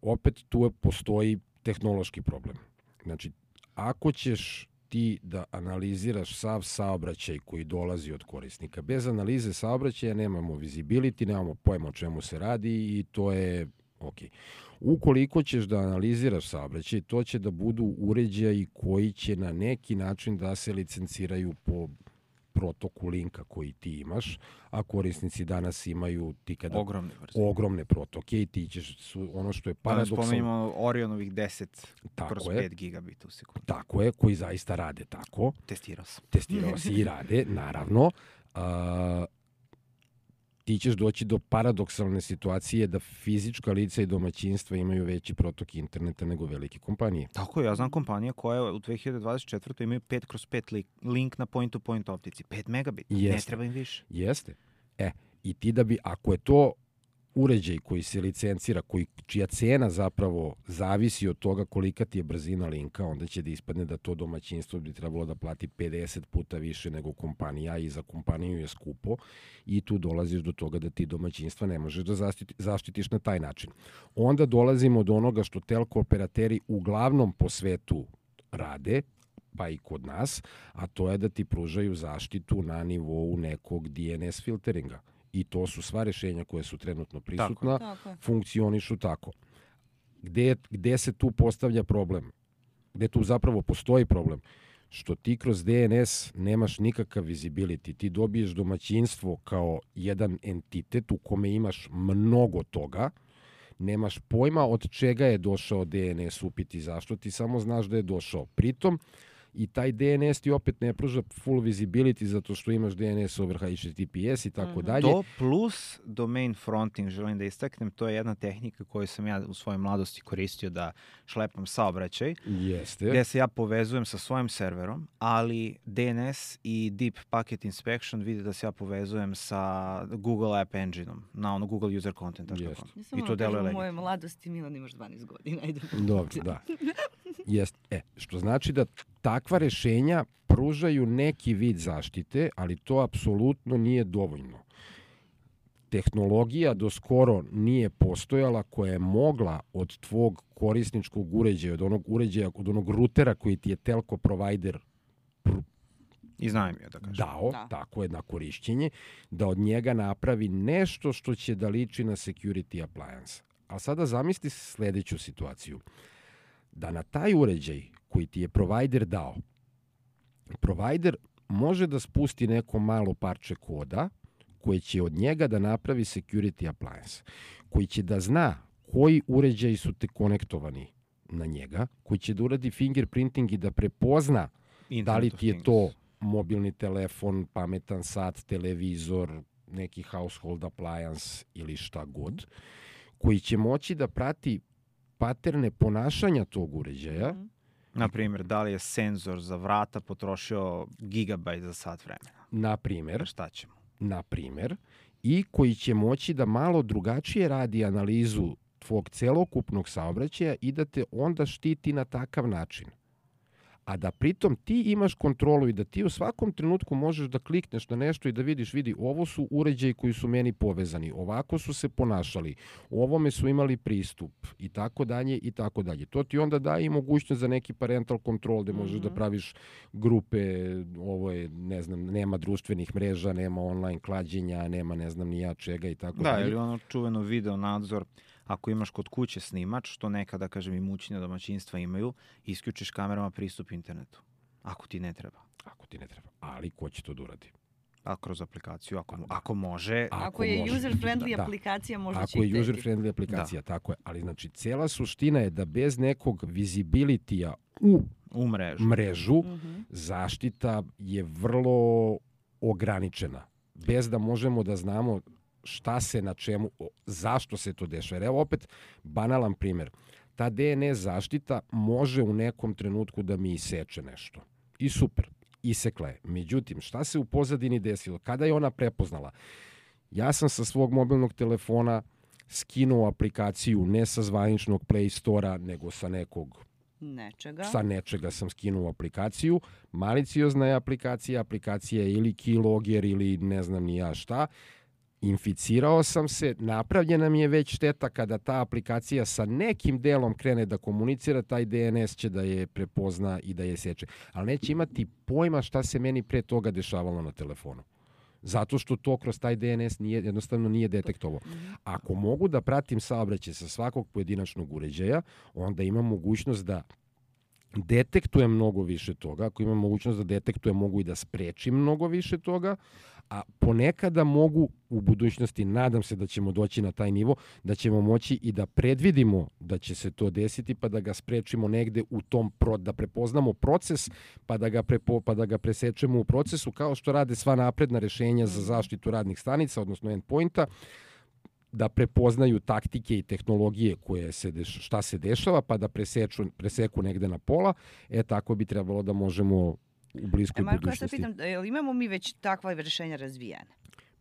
A: Opet tu je- postoji tehnološki problem. Znači, ako ćeš ti da analiziraš sav saobraćaj koji dolazi od korisnika, bez analize saobraćaja nemamo visibility, nemamo pojma o čemu se radi i to je ok. Ukoliko ćeš da analiziraš saobraćaj, to će da budu uređaji koji će na neki način da se licenciraju po protoku linka koji ti imaš, a korisnici danas imaju ti kada
B: Ogromne brzine.
A: ogromne protoke i ti ćeš su ono što je
B: Pa da
A: paradoksalno.
B: spomenimo Orionovih deset
A: Tako
B: kroz
A: je.
B: pet gigabita u sekundu.
A: Tako je, koji zaista rade tako.
B: Testirao sam.
A: Testirao si i rade, naravno. A, ti ćeš doći do paradoksalne situacije da fizička lica i domaćinstva imaju veći protok interneta nego velike kompanije.
B: Tako je, ja znam kompanije koje u dve hiljade dvadeset četvrtoj imaju pet kroz pet li- link na point-to-point optici. pet megabita, ne
A: Jeste.
B: treba im više.
A: Jeste. E, i ti da bi, ako je to uređaj koji se licencira, koji, čija cena zapravo zavisi od toga kolika ti je brzina linka, onda će da ispadne da to domaćinstvo bi trebalo da plati pedeset puta više nego kompanija i za kompaniju je skupo i tu dolaziš do toga da ti domaćinstva ne možeš da zaštiti, zaštitiš na taj način. Onda dolazimo do onoga što telko operateri uglavnom po svetu rade, pa i kod nas, a to je da ti pružaju zaštitu na nivou nekog D N S filteringa. I to su sva rešenja koje su trenutno prisutna,
C: Tako je.
A: funkcionišu tako. Gde, gde se tu postavlja problem? Gde tu zapravo postoji problem? Što ti kroz D N S nemaš nikakav visibility. Ti dobiješ domaćinstvo kao jedan entitet u kome imaš mnogo toga, nemaš pojma od čega je došao D N S upiti zašto, ti samo znaš da je došao. Pritom, i taj D N S ti opet ne pruža full visibility zato što imaš D N S over H T T P S i tako dalje.
B: To plus domain fronting, želim da istaknem, to je jedna tehnika koju sam ja u svojoj mladosti koristio da šlepam saobraćaj,
A: Jeste.
B: gde se ja povezujem sa svojim serverom, ali D N S i Deep Packet Inspection vidi da se ja povezujem sa Google App Engine-om, na ono Google User Content.
A: Jeste.
C: Nisam
B: I to deluje
C: u
B: legitimno.
C: mojoj mladosti, Milan, imaš dvanaest godina. Ajde.
A: Dobro, da. Jest, e, što znači da takva rešenja pružaju neki vid zaštite, ali to apsolutno nije dovoljno. Tehnologija do skoro nije postojala koja je mogla od tvog korisničkog uređaja, od onog uređaja, od onog rutera koji ti je telko provider
B: I znam je da kažem.
A: dao,
C: Da.
A: tako je, na korišćenje, da od njega napravi nešto što će da liči na security appliance. A sada zamisli sledeću situaciju. Da na taj uređaj koji ti je provider dao, provider može da spusti neko malo parče koda koje će od njega da napravi security appliance, koji će da zna koji uređaji su te konektovani na njega, koji će da uradi fingerprinting i da prepozna
B: Internet
A: da li
B: of
A: ti je
B: Things.
A: to mobilni telefon, pametan sat, televizor, neki household appliance ili šta god, koji će moći da prati paterne ponašanja tog uređaja.
C: Mhm.
B: Na primjer, da li je senzor za vrata potrošio gigabajt za sat vremena?
A: Na primer,
B: Šta ćemo?
A: na primer, i koji će moći da malo drugačije radi analizu tvog celokupnog saobraćaja i da te onda štiti na takav način. A da pritom ti imaš kontrolu i da ti u svakom trenutku možeš da klikneš na nešto i da vidiš, vidi, ovo su uređaji koji su meni povezani, ovako su se ponašali, ovome su imali pristup i tako dalje i tako dalje. To ti onda daje i mogućnost za neki parental control gde možeš
C: Mhm.
A: da praviš grupe, ovo je, ne znam, nema društvenih mreža, nema online klađenja, nema ne znam ni ja čega i tako
B: Da,
A: dalje.
B: ili ono čuveno video nadzor, ako imaš kod kuće snimač, što nekada, kažem, i mućnija domaćinstva imaju, isključiš kamerama pristup internetu. Ako ti ne treba.
A: Ako ti ne treba. Ali ko će to da uradi?
B: A kroz aplikaciju, ako, mo- ako može.
A: A-
C: Ako je
A: može.
C: user-friendly
A: Da.
C: aplikacija, možda će
A: Ako
C: i
A: je
C: tebi.
A: user-friendly aplikacija, tako je. Ali znači, cela suština je da bez nekog visibility-a u
B: U mrežu.
A: mrežu,
C: Mhm.
A: zaštita je vrlo ograničena. Bez da možemo da znamo šta se na čemu, o- zašto se to dešava. Jer evo opet banalan primjer. Ta D N S zaštita može u nekom trenutku da mi iseče nešto. I super, isekla je. Međutim, šta se u pozadini desilo? Kada je ona prepoznala? Ja sam sa svog mobilnog telefona skinuo aplikaciju ne sa zvaničnog Play Store-a, nego sa nekog
C: Nečega.
A: sa nečega sam skinuo aplikaciju. Maliciozna je aplikacija, aplikacija je ili keylogger ili ne znam ni ja šta. Inficirao sam se, napravljena mi je već šteta kada ta aplikacija sa nekim delom krene da komunicira, taj D N S će da je prepozna i da je seče. Ali neće imati pojma šta se meni pre toga dešavalo na telefonu. Zato što to kroz taj D N S nije, jednostavno nije detektovao. Ako mogu da pratim saobraćaj sa svakog pojedinačnog uređaja, onda imam mogućnost da detektujem mnogo više toga. Ako imam mogućnost da detektujem, mogu i da sprečim mnogo više toga, a ponekada mogu u budućnosti, nadam se da ćemo doći na taj nivo, da ćemo moći i da predvidimo da će se to desiti, pa da ga sprečimo negde u tom, pro, da prepoznamo proces, pa da, ga prepo, pa da ga presečemo u procesu, kao što rade sva napredna rešenja za zaštitu radnih stanica, odnosno endpointa, da prepoznaju taktike i tehnologije koje se deš, šta se dešava, pa da preseču, preseku negde na pola. E, tako bi trebalo da možemo u bliskoj
C: E, Marko, ja se
A: budućnosti.
C: pitam, jel imamo mi već takva rešenja razvijene?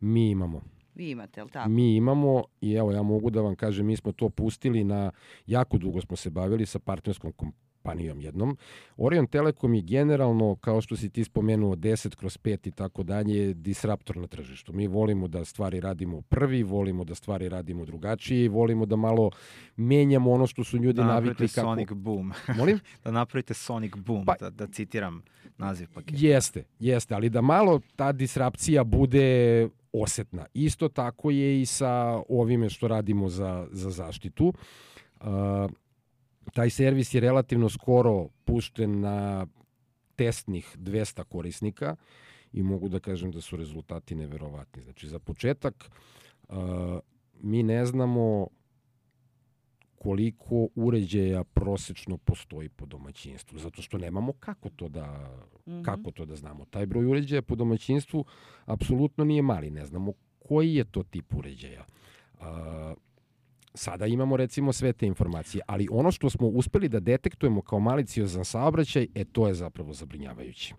A: Mi imamo.
C: Vi imate, jel tako?
A: Mi imamo i evo ja mogu da vam kažem, mi smo to pustili na, jako dugo smo se bavili sa partnerskom kompanijom jednom. Orion Telekom je generalno, kao što si ti spomenuo, deset kroz pet i tako dalje, disruptor na tržištu. Mi volimo da stvari radimo prvi, volimo da stvari radimo drugačije i volimo da malo menjamo ono što su ljudi
B: Da
A: navikli
B: napravite
A: kako...
B: Sonic Boom.
A: Molim?
B: Da napravite Sonic Boom,
A: Pa-
B: da, da citiram naziv paketa.
A: Jeste, jeste, ali da malo ta disrupcija bude osetna. Isto tako je i sa ovime što radimo za, za zaštitu. Uh, taj servis je relativno skoro pušten na testnih dvesta korisnika i mogu da kažem da su rezultati neverovatni. Znači, za početak, uh, mi ne znamo koliko uređaja prosečno postoji po domaćinstvu, zato što nemamo kako to da,
C: Mhm.
A: kako to da znamo. Taj broj uređaja po domaćinstvu apsolutno nije mali, ne znamo koji je to tip uređaja. A, sada imamo recimo sve te informacije, ali ono što smo uspeli da detektujemo kao maliciozan saobraćaj, e to je zapravo zabrinjavajuće.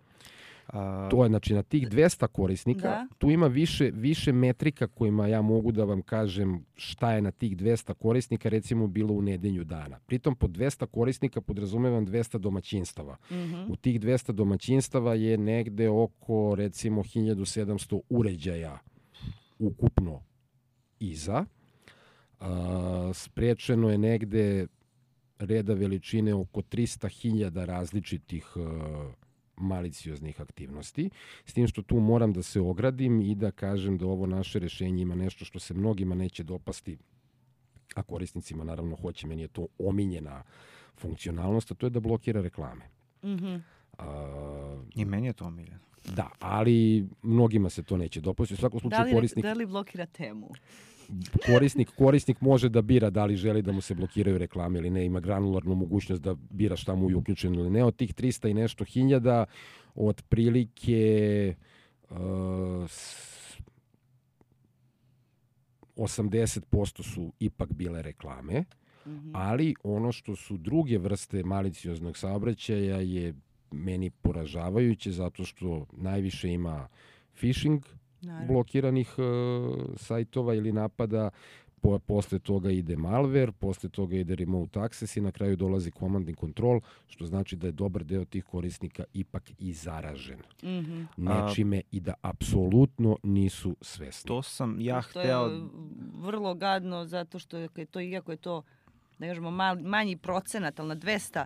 B: A,
A: To je, znači, na tih dvesta korisnika,
C: Da.
A: tu ima više, više metrika kojima ja mogu da vam kažem šta je na tih dvesta korisnika, recimo, bilo u nedelju dana. Pritom, pod dvesta korisnika podrazumevam dvesta domaćinstava.
C: Mhm.
A: U tih dvesta domaćinstava je negde oko, recimo, hiljadu sedamsto uređaja ukupno iza. A, sprečeno je negde reda veličine oko trista hiljada različitih a, malicioznih aktivnosti, s tim što tu moram da se ogradim i da kažem da ovo naše rešenje ima nešto što se mnogima neće dopasti, a korisnicima naravno hoće, meni je to omiljena funkcionalnost, a to je da blokira reklame.
C: Mhm.
A: A,
B: I meni je to omiljeno.
A: da, ali mnogima se to neće dopasti. U svakom
C: Da
A: slučaju
C: li,
A: korisnik...
C: da li blokira temu?
A: korisnik, korisnik može da bira da li želi da mu se blokiraju reklame ili ne, ima granularnu mogućnost da bira šta mu je uključeno ili ne. Od tih trista i nešto hiljada, otprilike uh, osamdeset posto su ipak bile reklame, mm-hmm. ali ono što su druge vrste malicioznog saobraćaja je meni poražavajuće zato što najviše ima phishing, naravno, blokiranih uh, sajtova ili napada, po, posle toga ide malware, posle toga ide remote access i na kraju dolazi command and control, što znači da je dobar deo tih korisnika ipak i zaražen. Mm-hmm. Nečime i da apsolutno nisu svesni.
B: To sam ja
C: to
B: hteo...
C: To je vrlo gadno zato što je to, iako je to, da kažemo, mal, manji procenat, ali na dvesta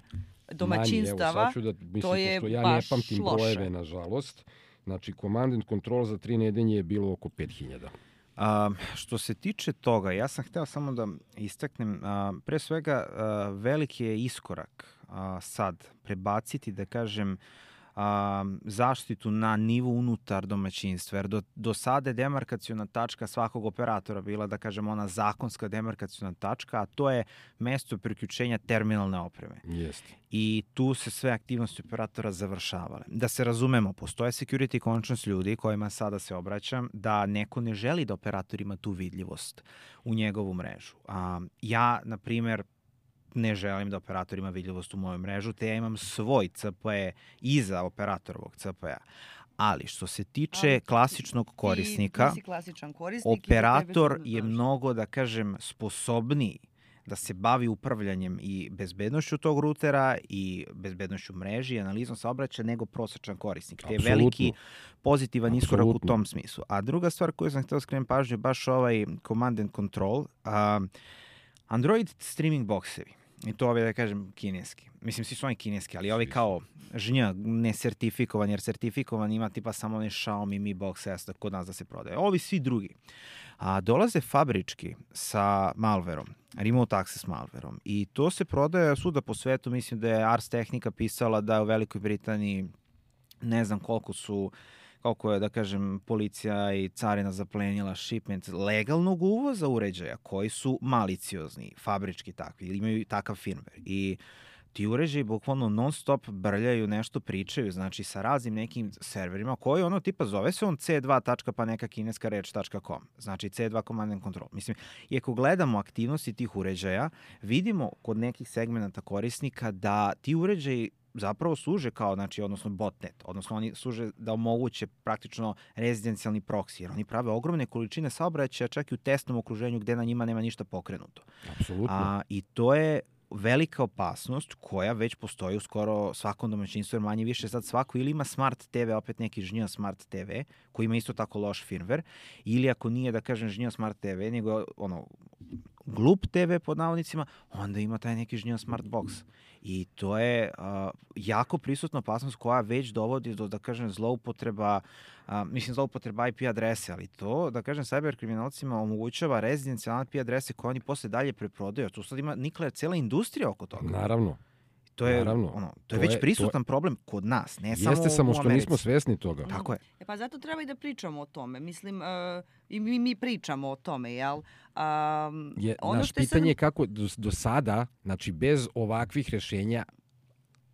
C: domaćinstava,
A: manji, evo, sad ću da, mislim,
C: to je
A: ja
C: baš
A: ne pamtim
C: loše.
A: Brojeve, nažalost. Znači, command and control za tri nedelje je bilo oko pet hiljada.
B: A, što se tiče toga, ja sam hteo samo da istaknem, a, pre svega a, veliki je iskorak a, sad prebaciti, da kažem, a, zaštitu na nivo unutar domaćinstva, jer do, do sada je demarkaciona tačka svakog operatora bila, da kažem, ona zakonska demarkaciona tačka, a to je mesto priključenja terminalne opreme.
A: Jeste.
B: I tu se sve aktivnosti operatora završavale. Da se razumemo, postoje security conscious ljudi kojima sada se obraćam da neko ne želi da operator ima tu vidljivost u njegovu mrežu. A, ja, na primer, ne želim da operator ima vidljivost u moju mrežu, te ja imam svoj C P E iza operatorovog C P E-a. Ali što se tiče Ali, klasičnog korisnika,
C: ti, ti klasičan korisnik
B: operator je mnogo, da kažem, sposobniji da se bavi upravljanjem i bezbednošću tog rutera i bezbednošću mreži i analizom saobraćaja nego prosječan korisnik. Te je veliki pozitivan iskorak u tom smislu. A druga stvar koju sam htio skrenuti pažnju je baš ovaj command and control. A, Android streaming boksevi. I to ove, da kažem, kineski. Mislim, svi su oni kineski, ali ovi kao žnja, ne sertifikovan, jer sertifikovan ima tipa samo ne Xiaomi Mi Box S da kod nas da se prodaje. Ovi svi drugi. A dolaze fabrički sa malverom, remote access malverom. I to se prodaje svuda po svetu. Mislim da je Ars Technica pisala da je u Velikoj Britaniji ne znam koliko su koliko je, da kažem, policija i carina zaplenila shipment legalnog uvoza uređaja koji su maliciozni, fabrički takvi, ili imaju takav firmware. I ti uređaji bukvalno non stop brljaju, nešto pričaju, znači sa raznim nekim serverima koji ono tipa zove se on ce dva pa neka kineska reč .com, znači ce dva Command and Control. Mislim, i ako gledamo aktivnosti tih uređaja, vidimo kod nekih segmenta korisnika da ti uređaji zapravo služe kao, znači, odnosno botnet, odnosno oni služe da omoguće praktično rezidencijalni proksi, jer oni prave ogromne količine saobraćaja čak i u testnom okruženju gde na njima nema ništa pokrenuto.
A: Apsolutno.
B: A, I to je velika opasnost koja već postoji u skoro svakom domaćinstvu, jer manje više sad svako ili ima smart te ve, opet neki žnja smart te ve, koji ima isto tako loš firmware, ili ako nije, da kažem, žnja smart te ve, nego ono, glup te ve pod navodnicima, onda ima taj neki žnja smart box. I to je uh, jako prisutna opasnost koja već dovodi do, da kažem, zloupotreba, uh, mislim, zloupotreba I P adrese, ali to, da kažem, cyber kriminalcima omogućava rezidencijalne I P adrese koje oni posle dalje preprodaju. Tu sad ima nikla cijela industrija oko toga.
A: Naravno.
B: To je,
A: Naravno.
B: ono, to
A: to
B: je već
A: je,
B: prisutan
A: to...
B: problem kod nas, ne
A: Jeste
B: samo u
A: Jeste samo što
B: Americi.
A: nismo svesni toga.
B: Tako je.
C: E pa zato treba i da pričamo o tome. Mislim, uh, i mi, mi pričamo o tome, jel? Um,
A: je,
C: ono
A: naš
C: što je
A: pitanje je
C: sad...
A: kako do, do sada, znači bez ovakvih rešenja,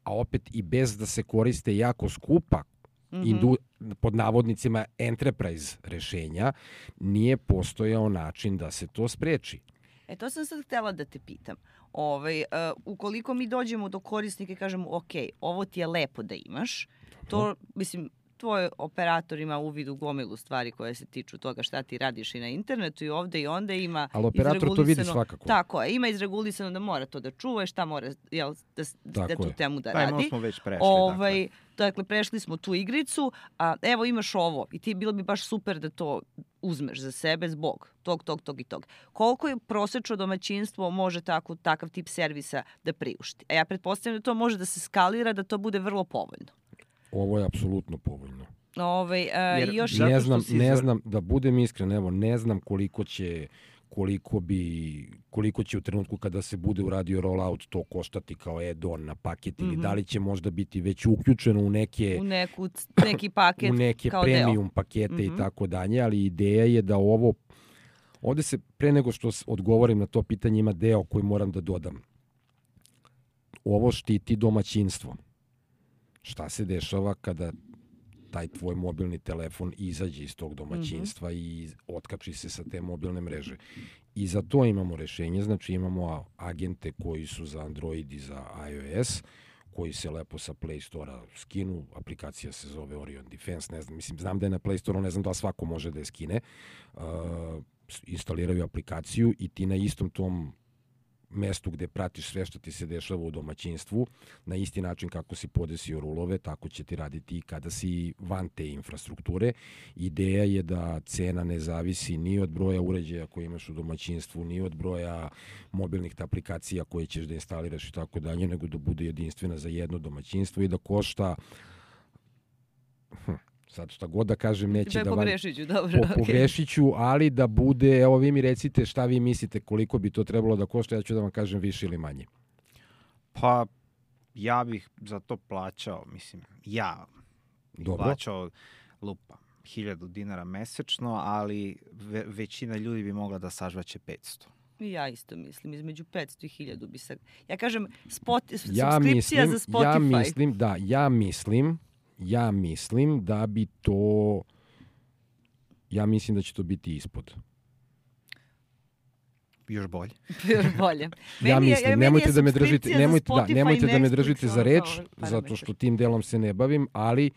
A: a opet i bez da se koriste jako skupa, mm-hmm. indu, pod navodnicima enterprise rešenja, nije postojao način da se to spreči.
C: E, to sam sad htjela da te pitam. Ovaj, uh, ukoliko mi dođemo do korisnika i kažemo, ok, ovo ti je lepo da imaš, to, mislim, tvoj operator ima uvid u gomilu stvari koje se tiču toga šta ti radiš i na internetu i ovde i onda ima...
A: Ali operator to vidi svakako.
C: Tako je, ima izregulisano da mora to da čuva, šta mora jel, da, da tu temu da radi.
B: Taj smo već prešli.
C: Ovaj,
B: dakle.
C: dakle, prešli smo tu igricu, a evo imaš ovo i ti bilo bi baš super da to uzmeš za sebe zbog tog, tog, tog i tog. Koliko je prosečno domaćinstvo može tako, takav tip servisa da priušti? A ja pretpostavljam da to može da se skalira, da to bude vrlo povoljno.
A: Ovo je apsolutno povoljno.
C: Ove, uh, još
A: ne znam, ne znam, da budem iskren, evo, ne znam koliko će, koliko bi, koliko će u trenutku kada se bude uradio rollout to koštati kao add-on na paket ili mm-hmm. da li će možda biti već uključeno u neke,
C: u neku, neki paket
A: u neke
C: kao
A: premium
C: deo.
A: pakete
C: mm-hmm.
A: i tako dalje, ali ideja je da ovo Ovde se, pre nego što odgovorim na to pitanje, ima deo koji moram da dodam. Ovo štiti domaćinstvo. Šta se dešava kada taj tvoj mobilni telefon izađe iz tog domaćinstva mm-hmm. i otkači se sa te mobilne mreže. I za to imamo rešenje, znači imamo agente koji su za Android i za iOS, koji se lepo sa Play Store-a skinu, aplikacija se zove Orion Defense, ne znam, mislim, znam da je na Play Store-u, ne znam da li svako može da je skine, uh, instaliraju aplikaciju i ti na istom tom mestu gde pratiš sve što ti se dešava u domaćinstvu, na isti način kako si podesio rulove, tako će ti raditi i kada si van te infrastrukture. Ideja je da cena ne zavisi ni od broja uređaja koje imaš u domaćinstvu, ni od broja mobilnih aplikacija koje ćeš da instaliraš i tako dalje, nego da bude jedinstvena za jedno domaćinstvo i da košta... Hm. Sad šta god da kažem neće da vam...
C: Pogrešiću, dobro.
A: Po, pogrešiću, ali da bude, evo vi mi recite šta vi mislite koliko bi to trebalo da košta, ja ću da vam kažem više ili manje.
B: Pa ja bih za to plaćao, mislim, ja bih dobro. plaćao lupa hiljadu dinara mesečno, ali ve, većina ljudi bi mogla da sažvaće petsto.
C: Ja isto mislim, između petsto i hiljadu bi se... Ja kažem, spot,
A: ja
C: subskripcija
A: mislim,
C: za Spotify.
A: Ja mislim, da, ja mislim... Ja mislim da bi to... Ja mislim da će to biti ispod.
B: Još bolje.
C: Još bolje.
A: Ja
C: meni,
A: mislim,
C: ja,
A: nemojte da me držite,
C: za
A: nemojte, da, nemojte da me
C: Netflix,
A: držite za reč, zato što tim delom se ne bavim, ali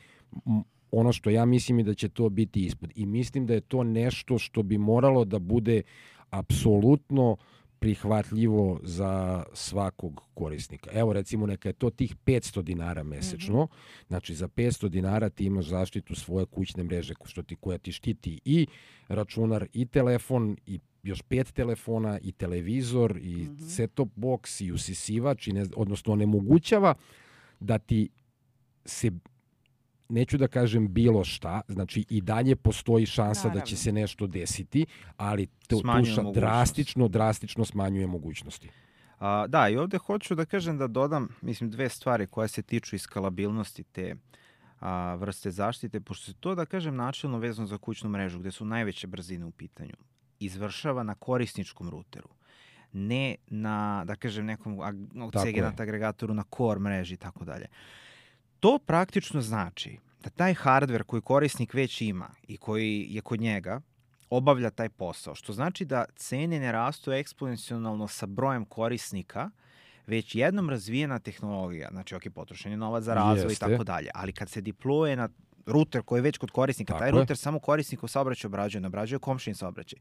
A: ono što ja mislim je da će to biti ispod. I mislim da je to nešto što bi moralo da bude apsolutno prihvatljivo za svakog korisnika. Evo recimo neka je to tih petsto dinara mesečno, mm-hmm. znači za petsto dinara ti imaš zaštitu svoje kućne mreže što ti, koja ti štiti i računar i telefon i još pet telefona i televizor i mm-hmm. set-top box i usisivač, i ne, odnosno onemogućava da ti se, neću da kažem bilo šta, znači i dalje postoji šansa Naravno. da će se nešto desiti, ali to, tuša drastično, drastično smanjuje mogućnosti.
B: A, da, i ovde hoću da kažem da dodam, mislim, dve stvari koje se tiču iskalabilnosti te a, vrste zaštite, pošto se to, da kažem, načelno vezano za kućnu mrežu, gde su najveće brzine u pitanju, izvršava na korisničkom ruteru, ne na, da kažem, nekom segment agregatoru na core mreži i tako dalje. To praktično znači da taj hardver koji korisnik već ima i koji je kod njega obavlja taj posao, što znači da cene ne rastu eksponencijalno sa brojem korisnika, već jednom razvijena tehnologija, znači ok, potrošen je novac za razvoj Jeste. i tako dalje, ali kad se deployuje na ruter koji je već kod korisnika, tako taj ruter je. samo korisnikov saobraćaj obrađuje, ne obrađuje komšin saobraćaj.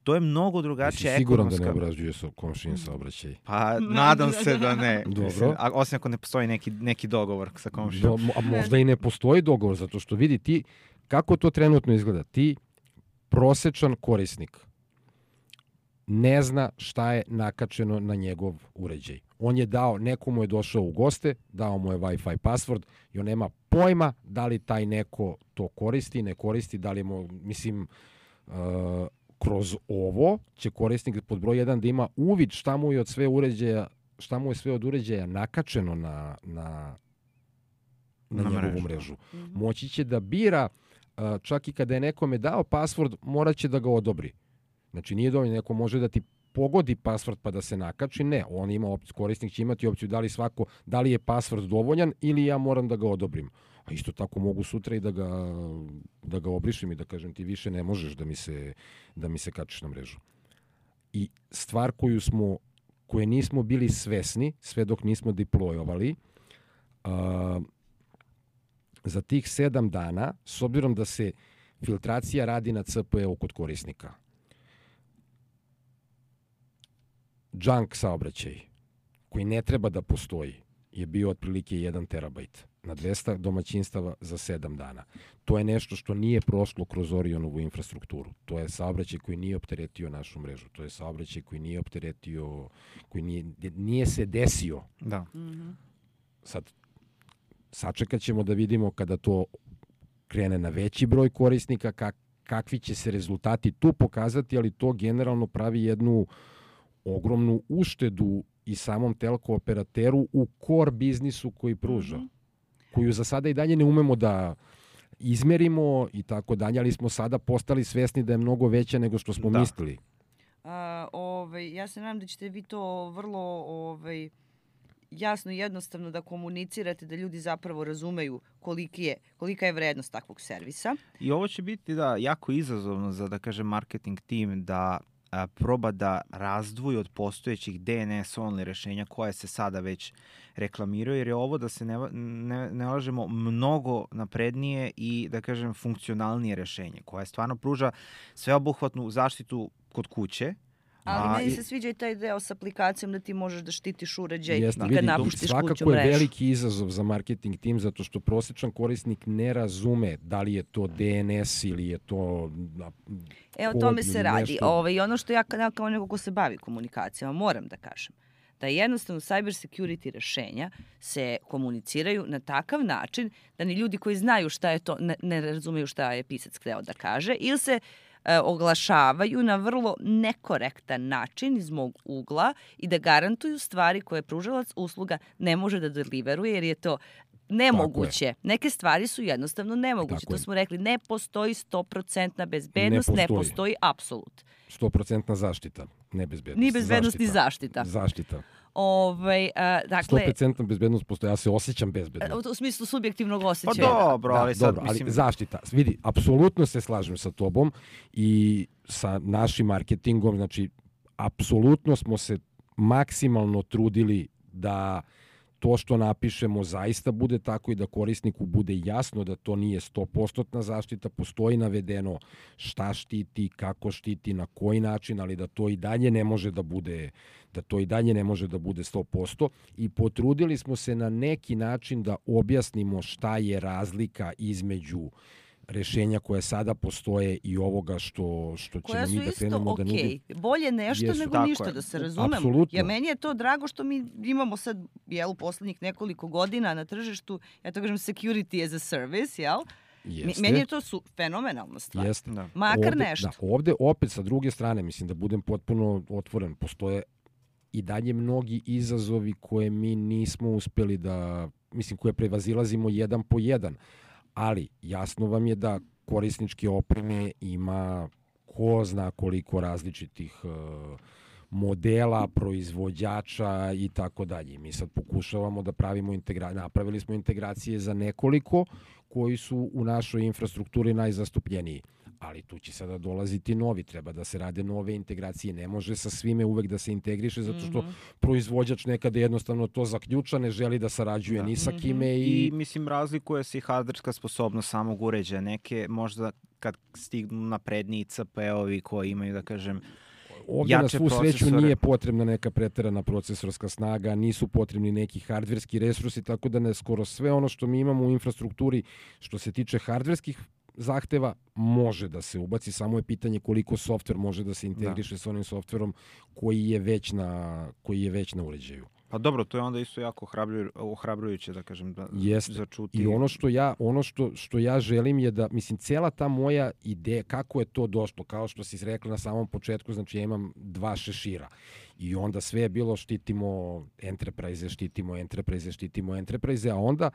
B: To je mnogo drugačija ekonomska...
A: Jesi siguran da ne obrađuje komšin saobraćaj?
B: Pa nadam se da ne.
A: Dobro.
B: Mislim, a, osim ako ne postoji neki, neki dogovor sa komšinom.
A: Do, a možda i ne postoji dogovor, zato što vidi ti kako to trenutno izgleda. Ti, prosečan korisnik, ne zna šta je nakačeno na njegov uređaj. On je dao, nekomu je došao u goste, dao mu je Wi-Fi password i on nema pojma da li taj neko to koristi, ne koristi, da li mu, mislim, uh, kroz ovo će korisnik pod broj jedan da ima uvid šta mu je od sve uređaja, šta mu je sve od uređaja nakačeno na, na, na, na njegovu mrežu. mrežu. Mm-hmm. Moći će da bira, uh, čak i kada je nekome dao password, morat će da ga odobri. Znači nije dovoljno, neko može da ti pogodi password pa da se nakači, ne, on ima opciju, korisnik će imati opciju da li svako, da li je password dovoljan ili ja moram da ga odobrim. A isto tako mogu sutra i da ga, da ga obrišem i da kažem ti više ne možeš da mi se, da mi se kačiš na mrežu. I stvar koju smo, koje nismo bili svesni, sve dok nismo deployovali, uh, za tih sedam dana, s obzirom da se filtracija radi na C P U kod korisnika, junk saobraćaj, koji ne treba da postoji, je bio otprilike jedan terabajt na dvesta domaćinstava za sedam dana. To je nešto što nije prošlo kroz Orionovu infrastrukturu. To je saobraćaj koji nije opteretio našu mrežu. To je saobraćaj koji nije opteretio, koji nije, nije se desio.
B: Da.
C: Mm-hmm.
A: Sad, sačekat ćemo da vidimo kada to krene na veći broj korisnika, kak, kakvi će se rezultati tu pokazati, ali to generalno pravi jednu ogromnu uštedu i samom telko operateru u core biznisu koji pruža. Mm-hmm. Koju za sada i dalje ne umemo da izmerimo i tako dalje, ali smo sada postali svesni da je mnogo veća nego što smo
B: da.
A: mislili.
C: A, ovaj, ja se nadam da ćete vi to vrlo ovaj, jasno i jednostavno da komunicirate, da ljudi zapravo razumeju koliki je, kolika je vrednost takvog servisa.
B: I ovo će biti da jako izazovno za, da kažem, marketing tim da a, proba da razdvoji od postojećih D N S only rešenja koje se sada već reklamiraju, jer je ovo, da se ne, ne, ne lažemo, mnogo naprednije i, da kažem, funkcionalnije rešenje koje stvarno pruža sveobuhvatnu zaštitu kod kuće.
C: Ali
B: A,
C: meni
B: i-
C: se sviđa i taj deo sa aplikacijom da ti možeš da štitiš uređaj
A: Jeste,
C: kad
A: vidi,
C: napuštiš kuću
A: svakako je
C: mrežu.
A: veliki izazov za marketing tim, zato što prosječan korisnik ne razume da li je to D N S ili je to a,
C: E, o
A: kod
C: tome se
A: ili
C: radi.
A: nešto.
C: Ovaj, I ono što ja ka- kao neko ko se bavi komunikacijama moram da kažem, da jednostavno cyber security rešenja se komuniciraju na takav način da ni ljudi koji znaju šta je to ne, ne razumeju šta je pisac hteo da kaže ili se e, oglašavaju na vrlo nekorektan način iz mog ugla i da garantuju stvari koje pružalac usluga ne može da deliveruje jer je to nemoguće. Neke stvari su jednostavno nemoguće.
A: Tako
C: To
A: je.
C: smo rekli, ne postoji sto posto bezbednost, ne
A: Ne
C: postoji,
A: postoji.
C: apsolut.
A: sto posto zaštita, ne bezbednost.
C: Ni bezbednost, ni
A: zaštita.
C: zaštita.
A: Zaštita.
C: Ovaj, a, dakle,
A: sto posto bezbednost postoji, ja se osjećam bezbedno.
C: u, u smislu subjektivnog
B: Pa
C: osjećaja.
B: dobro, ali
A: Da,
B: sad,
A: dobro, ali
B: mislim...
A: zaštita. Vidi, apsolutno se slažem sa tobom i sa našim marketingom, znači, apsolutno smo se maksimalno trudili da to što napišemo zaista bude tako i da korisniku bude jasno da to nije sto posto zaštita, postoji navedeno šta štiti, kako štiti, na koji način, ali da to i dalje ne može da bude da to i dalje ne može da bude sto posto i potrudili smo se na neki način da objasnimo šta je razlika između rešenja koje sada postoje i ovoga što, što
C: Koja
A: ćemo
C: su
A: mi da
C: isto
A: krenemo da
C: okej.
A: nudimo.
C: Bolje nešto
A: Jesu.
C: nego
B: Tako
C: ništa,
B: je.
C: da se razumemo.
A: Apsolutno.
C: Ja, meni je to drago što mi imamo sad, jel, poslednjih nekoliko godina na tržištu, ja to kažem security as a service, jel? Mi-
A: Jeste.
C: Meni je to su fenomenalna stvar.
A: Jeste.
B: Da.
C: Makar
A: ovde,
C: nešto.
A: Da, ovde opet sa druge strane, mislim da budem potpuno otvoren, postoje i dalje mnogi izazovi koje mi nismo uspeli da, mislim, koje prevazilazimo jedan po jedan, ali jasno vam je da korisničke opreme ima ko zna koliko različitih uh, modela, proizvođača i tako dalje. Mi sad pokušavamo da pravimo integracije, napravili smo integracije za nekoliko koji su u našoj infrastrukturi najzastupljeniji. Ali tu će sada dolaziti novi, treba da se rade nove integracije, ne može sa svime uvek da se integriše, zato što
C: Mhm.
A: proizvođač nekada jednostavno to zaključa, ne želi da sarađuje
B: Da.
A: ni sa
C: Mhm.
A: kime
B: I,
A: i...
B: mislim, razlikuje se i hardverska sposobnost samog uređaja. Neke možda kad stignu napredniji C P ovi koji imaju, da kažem,
A: Ovdje na
B: jače
A: svu sreću
B: procesore.
A: nije potrebna neka preterana procesorska snaga, nisu potrebni neki hardverski resursi, tako da ne skoro sve ono što mi imamo u infrastrukturi što se tiče hardverskih zahteva može da se ubaci, samo je pitanje koliko softver može da se integriše sa onim softverom koji je već na, koji je već na uređaju.
B: pa dobro, to je onda isto jako ohrabruju- ohrabrujuće, da kažem, da,
A: Jeste.
B: za čuti.
A: I ono što ja ono što što ja želim je da, mislim, cela ta moja ideja kako je to došlo, kao što si rekla na samom početku, znači ja imam dva šešira i onda sve je bilo štitimo enterprise, štitimo enterprise, štitimo enterprise, a onda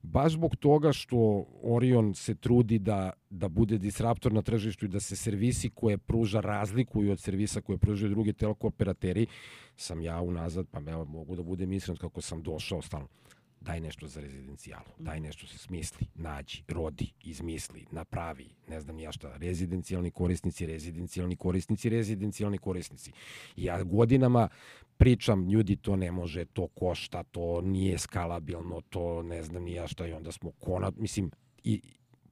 A: baš zbog toga što Orion se trudi da da bude disruptor na tržištu i da se servisi koje pruža razlikuju od servisa koje pružaju drugi teleko operateri, sam ja unazad, pa evo, mogu da budem iskren kako sam došao stalno. Daj nešto za rezidencijalu, daj nešto se smisli, nađi, rodi, izmisli, napravi, ne znam ni ja šta, rezidencijalni korisnici, rezidencijalni korisnici, rezidencijalni korisnici. I ja godinama pričam, ljudi, to ne može, to košta, to nije skalabilno, to ne znam ni ja šta, i onda smo konat, mislim, i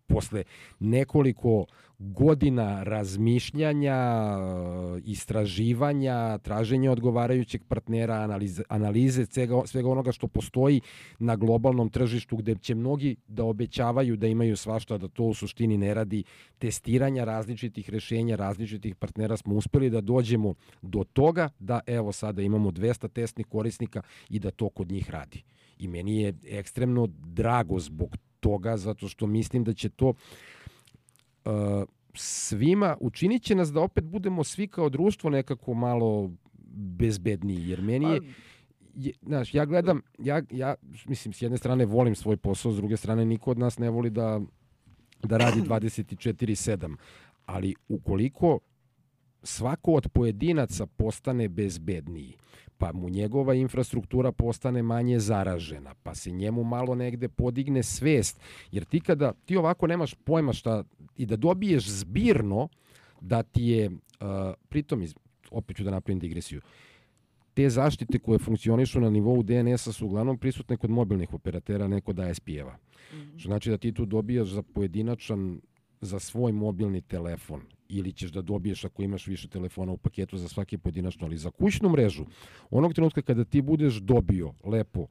A: posle nekoliko godina razmišljanja, istraživanja, traženja odgovarajućeg partnera, analize, analize svega, svega onoga što postoji na globalnom tržištu gde će mnogi da obećavaju da imaju svašta, da to u suštini ne radi, testiranja različitih rešenja, različitih partnera, smo uspeli da dođemo do toga da evo sada imamo dvesta testnih korisnika i da to kod njih radi. I meni je ekstremno drago zbog toga, zato što mislim da će to uh, svima, učinit će nas da opet budemo svi kao društvo nekako malo bezbedniji, jer meni je, je znaš, ja gledam, ja, ja, mislim, s jedne strane volim svoj posao, s druge strane niko od nas ne voli da, da radi dvadeset četiri sedam, ali ukoliko svako od pojedinaca postane bezbedniji, pa mu njegova infrastruktura postane manje zaražena, pa se njemu malo negde podigne svest, jer ti kada ti ovako nemaš pojma šta i da dobiješ zbirno da ti je, uh, pritom, opet ću da napravim digresiju, te zaštite koje funkcionišu na nivou D N S-a su uglavnom prisutne kod mobilnih operatera, ne kod A S P-eva. Mm-hmm. Što znači da ti tu dobijaš za pojedinačan, za svoj mobilni telefon, ili ćeš da dobiješ ako imaš više telefona u paketu za svaki pojedinačno, ali za kućnu mrežu, onog trenutka kada ti budeš dobio lepo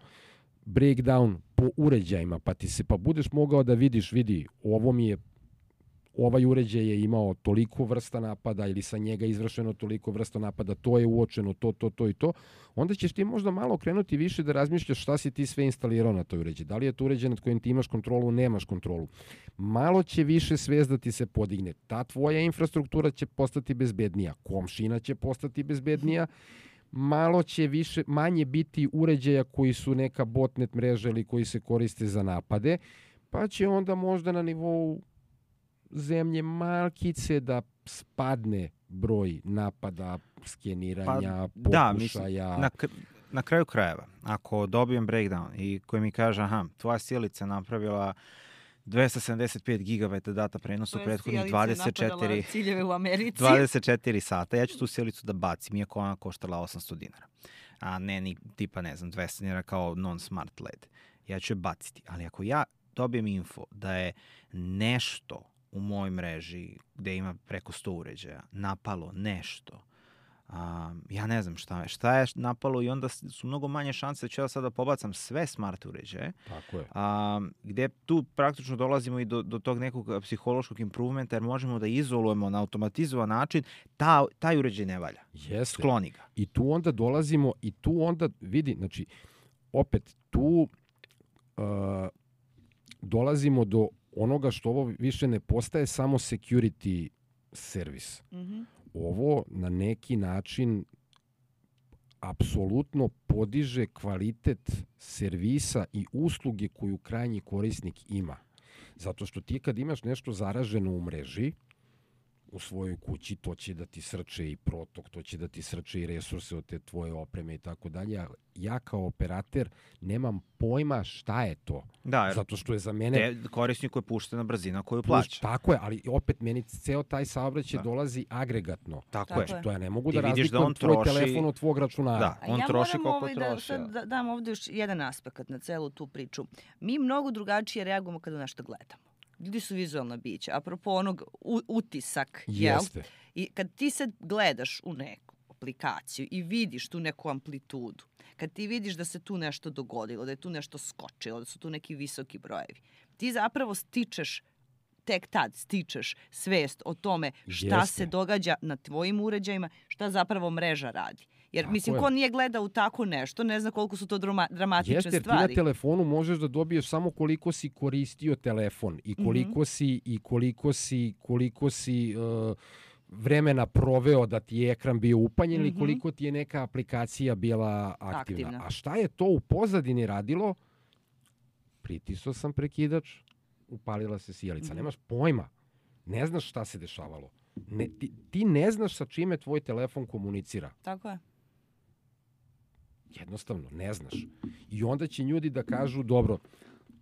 A: breakdown po uređajima, pa ti se pa budeš mogao da vidiš, vidi, ovo mi je ovaj uređaj je imao toliko vrsta napada ili sa njega izvršeno toliko vrsta napada, to je uočeno, to, to, to i to, onda ćeš ti možda malo krenuti više da razmišljaš šta si ti sve instalirao na toj uređaj. Da li je to uređaj nad kojim ti imaš kontrolu, nemaš kontrolu. Malo će više svest da ti se podigne. Ta tvoja infrastruktura će postati bezbednija, komšina će postati bezbednija, malo će više, manje biti uređaja koji su neka botnet mreža ili koji se koriste za napade, pa će onda možda na nivou zemlje malkice da spadne broj napada, skeniranja,
B: pa,
A: pokušaja.
B: Da, mislim, na, na kraju krajeva, ako dobijem breakdown i koji mi kaže, aha, tvoja sjelica napravila dvesta sedamdeset pet gigabajta data prenosa u prethodnih dvadeset četiri,
C: ciljeve u Americi.
B: dvadeset četiri sata, ja ću tu sjelicu da bacim, iako ona koštala osamsto dinara. A ne ni tipa, ne znam, dvesta dinara kao non-smart L E D. Ja ću je baciti. Ali ako ja dobijem info da je nešto u mojoj mreži gde ima preko sto uređaja napalo nešto, um, ja ne znam šta je, šta je napalo i onda su mnogo manje šanse da ću ja sada pobacam sve smart uređaje.
A: Tako je.
B: Um, gde tu praktično dolazimo i do, do tog nekog psihološkog improvementa, jer možemo da izolujemo na automatizovan način, ta, taj uređaj ne valja.
A: Jeste.
B: Skloni ga.
A: I tu onda dolazimo, i tu onda vidi, znači, opet tu uh, dolazimo do onoga što ovo više ne postaje samo security servis. Mm-hmm. Ovo na neki način apsolutno podiže kvalitet servisa i usluge koju krajnji korisnik ima. Zato što ti kad imaš nešto zaraženo u mreži, u svojoj kući, to će da ti srče i protok, to će da ti srče i resurse od te tvoje opreme i tako dalje. Ja kao operater nemam pojma šta je to.
B: Da,
A: zato što je za mene...
B: Korisniku je puštena brzina koju plaća.
A: Tako je, ali opet meni ceo taj saobraćaj da. dolazi agregatno.
B: Tako,
A: tako
B: je.
A: Znači, to ja ne mogu
B: ti
A: da razlikujem
B: da
A: tvoj
B: troši...
A: telefon od tvog računara.
B: Da, on
C: ja
B: troši koliko
C: ovaj
B: troši.
C: Da, da dam ovde još jedan aspekt na celu tu priču. Mi mnogo drugačije reagujemo kada nešto gledamo. Ljudi su vizualna bića. Apropo onog u, utisak.
A: Jeste.
C: Jel? I kad ti sad gledaš u neku aplikaciju i vidiš tu neku amplitudu, kad ti vidiš da se tu nešto dogodilo, da je tu nešto skočilo, da su tu neki visoki brojevi, ti zapravo stičeš, tek tad stičeš svest o tome šta
A: Jeste.
C: se događa na tvojim uređajima, šta zapravo mreža radi. Jer, tako mislim,
A: je.
C: ko nije gledao tako nešto, ne zna koliko su to drama, dramatične
A: Jeste, jer
C: stvari.
A: ti na telefonu možeš da dobiješ samo koliko si koristio telefon i koliko mm-hmm. si, i koliko si, koliko si uh, vremena proveo da ti je ekran bio upaljen mm-hmm. ili koliko ti je neka aplikacija bila aktivna. aktivna. A šta je to u pozadini radilo? Pritisao sam prekidač, upalila se sjelica. Mm-hmm. Nemaš pojma. Ne znaš šta se dešavalo. Ne, ti, ti ne znaš sa čime tvoj telefon komunicira.
C: Tako je.
A: Jednostavno, ne znaš. I onda će ljudi da kažu, dobro,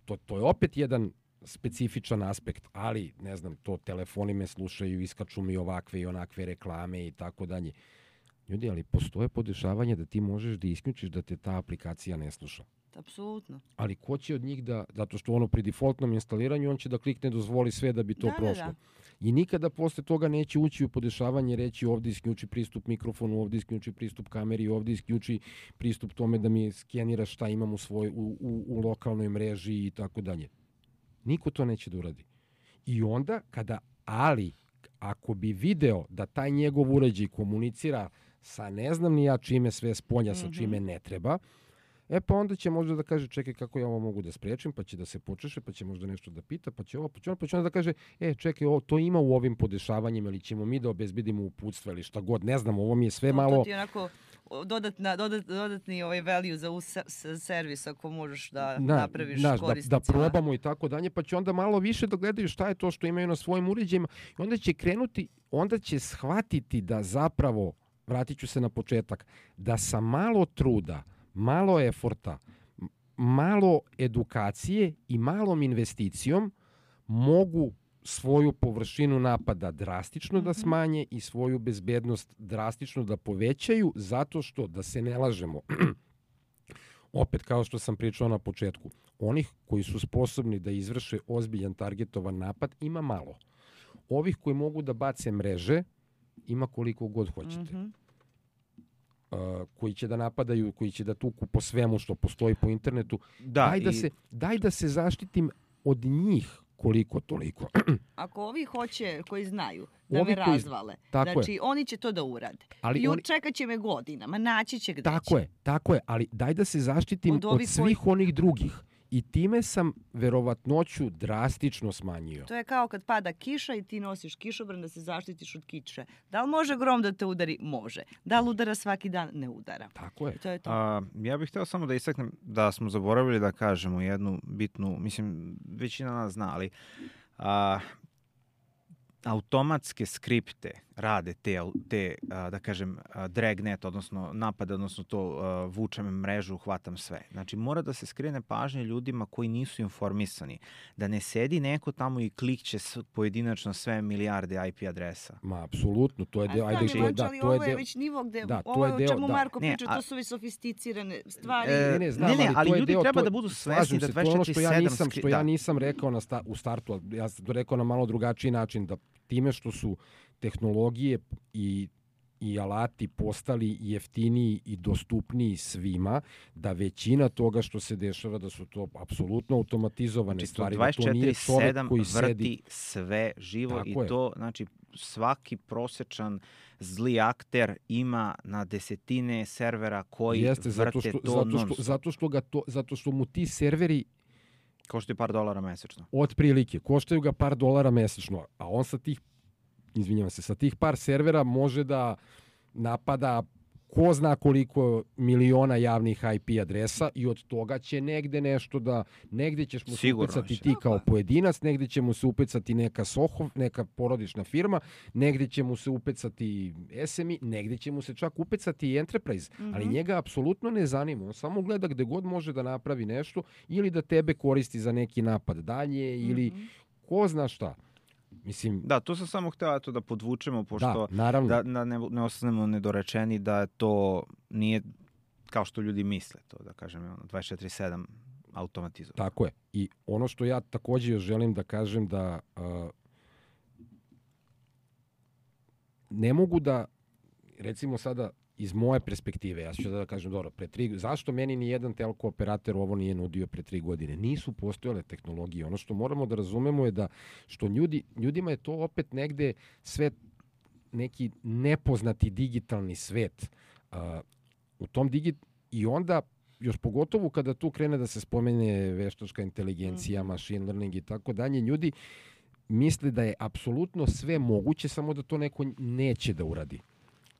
A: to, to je opet jedan specifičan aspekt, ali, ne znam, to telefoni me slušaju, iskaču mi ovakve i onakve reklame i tako dalje. Ljudi, ali postoje podešavanje da ti možeš da isključiš da te ta aplikacija ne sluša.
C: Apsolutno.
A: Ali ko će od njih da, zato što ono pri defaultnom instaliranju, on će da klikne dozvoli sve da bi to
C: da,
A: prošlo.
C: Da, da.
A: I nikada posle toga neće ući u podešavanje, reći ovdje isključi pristup mikrofonu, ovdje isključi pristup kameri, ovdje isključi pristup tome da mi skenira šta imam u, svoj, u, u, u lokalnoj mreži i tako dalje. Niko to neće da uradi. I onda, kada, ali, ako bi video da taj njegov uređaj komunicira sa ne znam ni ja čime sve spolja, mm-hmm. sa čime ne treba, E pa onda će možda da kaže, čekaj kako ja ovo mogu da sprečim, pa će da se počeše, pa će možda nešto da pita, pa će ovo, pa će, on, pa će onda da kaže, e čekaj, ovo, to ima u ovim podešavanjima, ili ćemo mi da obezbedimo uputstva ili šta god, ne znam, ovo mi je sve
C: to,
A: malo...
C: To ti je onako dodatna, dodat, dodatni ovaj value za us servis ako možeš da na, napraviš
A: naš,
C: korisnicima.
A: Da, da probamo i tako dalje, pa će onda malo više da gledaju šta je to što imaju na svojim uređajima i onda će krenuti, onda će shvatiti da zapravo, vratit ću se na početak, da sa malo truda, malo eforta, malo edukacije i malom investicijom mogu svoju površinu napada drastično da smanje i svoju bezbednost drastično da povećaju, zato što, da se ne lažemo, opet, kao što sam pričao na početku, onih koji su sposobni da izvrše ozbiljan targetovan napad ima malo. Ovih koji mogu da bace mreže ima koliko god hoćete. Mm-hmm. Uh, koji će da napadaju, koji će da tuku po svemu što postoji po internetu. Da, daj, da i... se, daj da se zaštitim od njih koliko toliko.
C: Ako ovi hoće, koji znaju da ovi me
A: koji...
C: razvale,
A: tako
C: znači
A: je.
C: Oni će to da urade.
A: Ali
C: I
A: oni...
C: čekat će me godinama, naći će gde
A: tako
C: će.
A: Je, tako je, ali daj da se zaštitim od, od svih koji... onih drugih. I time sam verovatnoću drastično smanjio.
C: To je kao kad pada kiša i ti nosiš kišobran da se zaštitiš od kiše. Da li može grom da te udari? Može. Da li udara svaki dan? Ne udara.
A: Tako je.
C: I to je to.
B: A, ja bih hteo samo da istaknem da smo zaboravili da kažemo jednu bitnu, mislim, većina nas zna, ali a, automatske skripte rade te, te da kažem, dragnet, odnosno napad, odnosno to vučem mrežu, hvatam sve. Znači, mora da se skrene pažnje ljudima koji nisu informisani. Da ne sedi neko tamo i klikće pojedinačno sve milijarde I P adresa.
A: Ma, apsolutno. To je deo...
C: Ajde, da, da, to je, je već nivo gde... Da, ovo je o čemu da. Marko priča, to su već sofisticirane stvari.
A: E, ne, ne, znam,
B: ne, ne, ali, ali ljudi
A: deo,
B: treba
A: to,
B: da budu svesni da dvadeset četiri sedam...
A: Što ja nisam, što ja nisam rekao na sta, u startu, ja sam to rekao na malo drugačiji način, da time što su tehnologije i, i alati postali jeftiniji i dostupniji svima, da većina toga što se dešava, da su to apsolutno automatizovane
B: znači,
A: stvari.
B: dvadeset četiri sedam
A: koji
B: vrti sedi... sve živo. Tako i je. To, znači, svaki prosečan zli akter ima na desetine servera koji
A: Jeste,
B: vrte
A: zato što,
B: to
A: zato što,
B: non-stop.
A: zato što, ga to, zato što mu ti serveri
B: koštaju par dolara mesečno.
A: Otprilike, koštaju ga par dolara mesečno, a on sa tih izvinjavam se, sa tih par servera može da napada ko zna koliko miliona javnih I P adresa i od toga će negde nešto da, negde ćeš mu se upecati ti kao pojedinac, negde će mu se upecati neka Sohov, neka porodična firma, negde će mu se upecati S M I, negde će mu se čak upecati i Enterprise, mm-hmm. ali njega apsolutno ne zanima, on samo gleda gde god može da napravi nešto ili da tebe koristi za neki napad dalje mm-hmm. ili ko zna šta. Mislim,
B: da, to sam samo hteo eto, da podvučemo, pošto
A: da,
B: da, da ne, ne ostanemo nedorečeni da to nije kao što ljudi misle, to da kažem, dvadeset četiri sedam automatizovano.
A: Tako je. I ono što ja takođe još želim da kažem da uh, ne mogu da, recimo sada iz moje perspektive, ja ću da kažem, dobro, pre tri, zašto meni ni jedan telko operator ovo nije nudio pre tri godine? Nisu postojale tehnologije. Ono što moramo da razumemo je da, što ljudi, ljudima je to opet negde sve neki nepoznati digitalni svet. Uh, u tom digit... I onda, još pogotovo kada tu krene da se spomene veštačka inteligencija, mm. machine learning i tako dalje, ljudi misle da je apsolutno sve moguće, samo da to neko neće da uradi.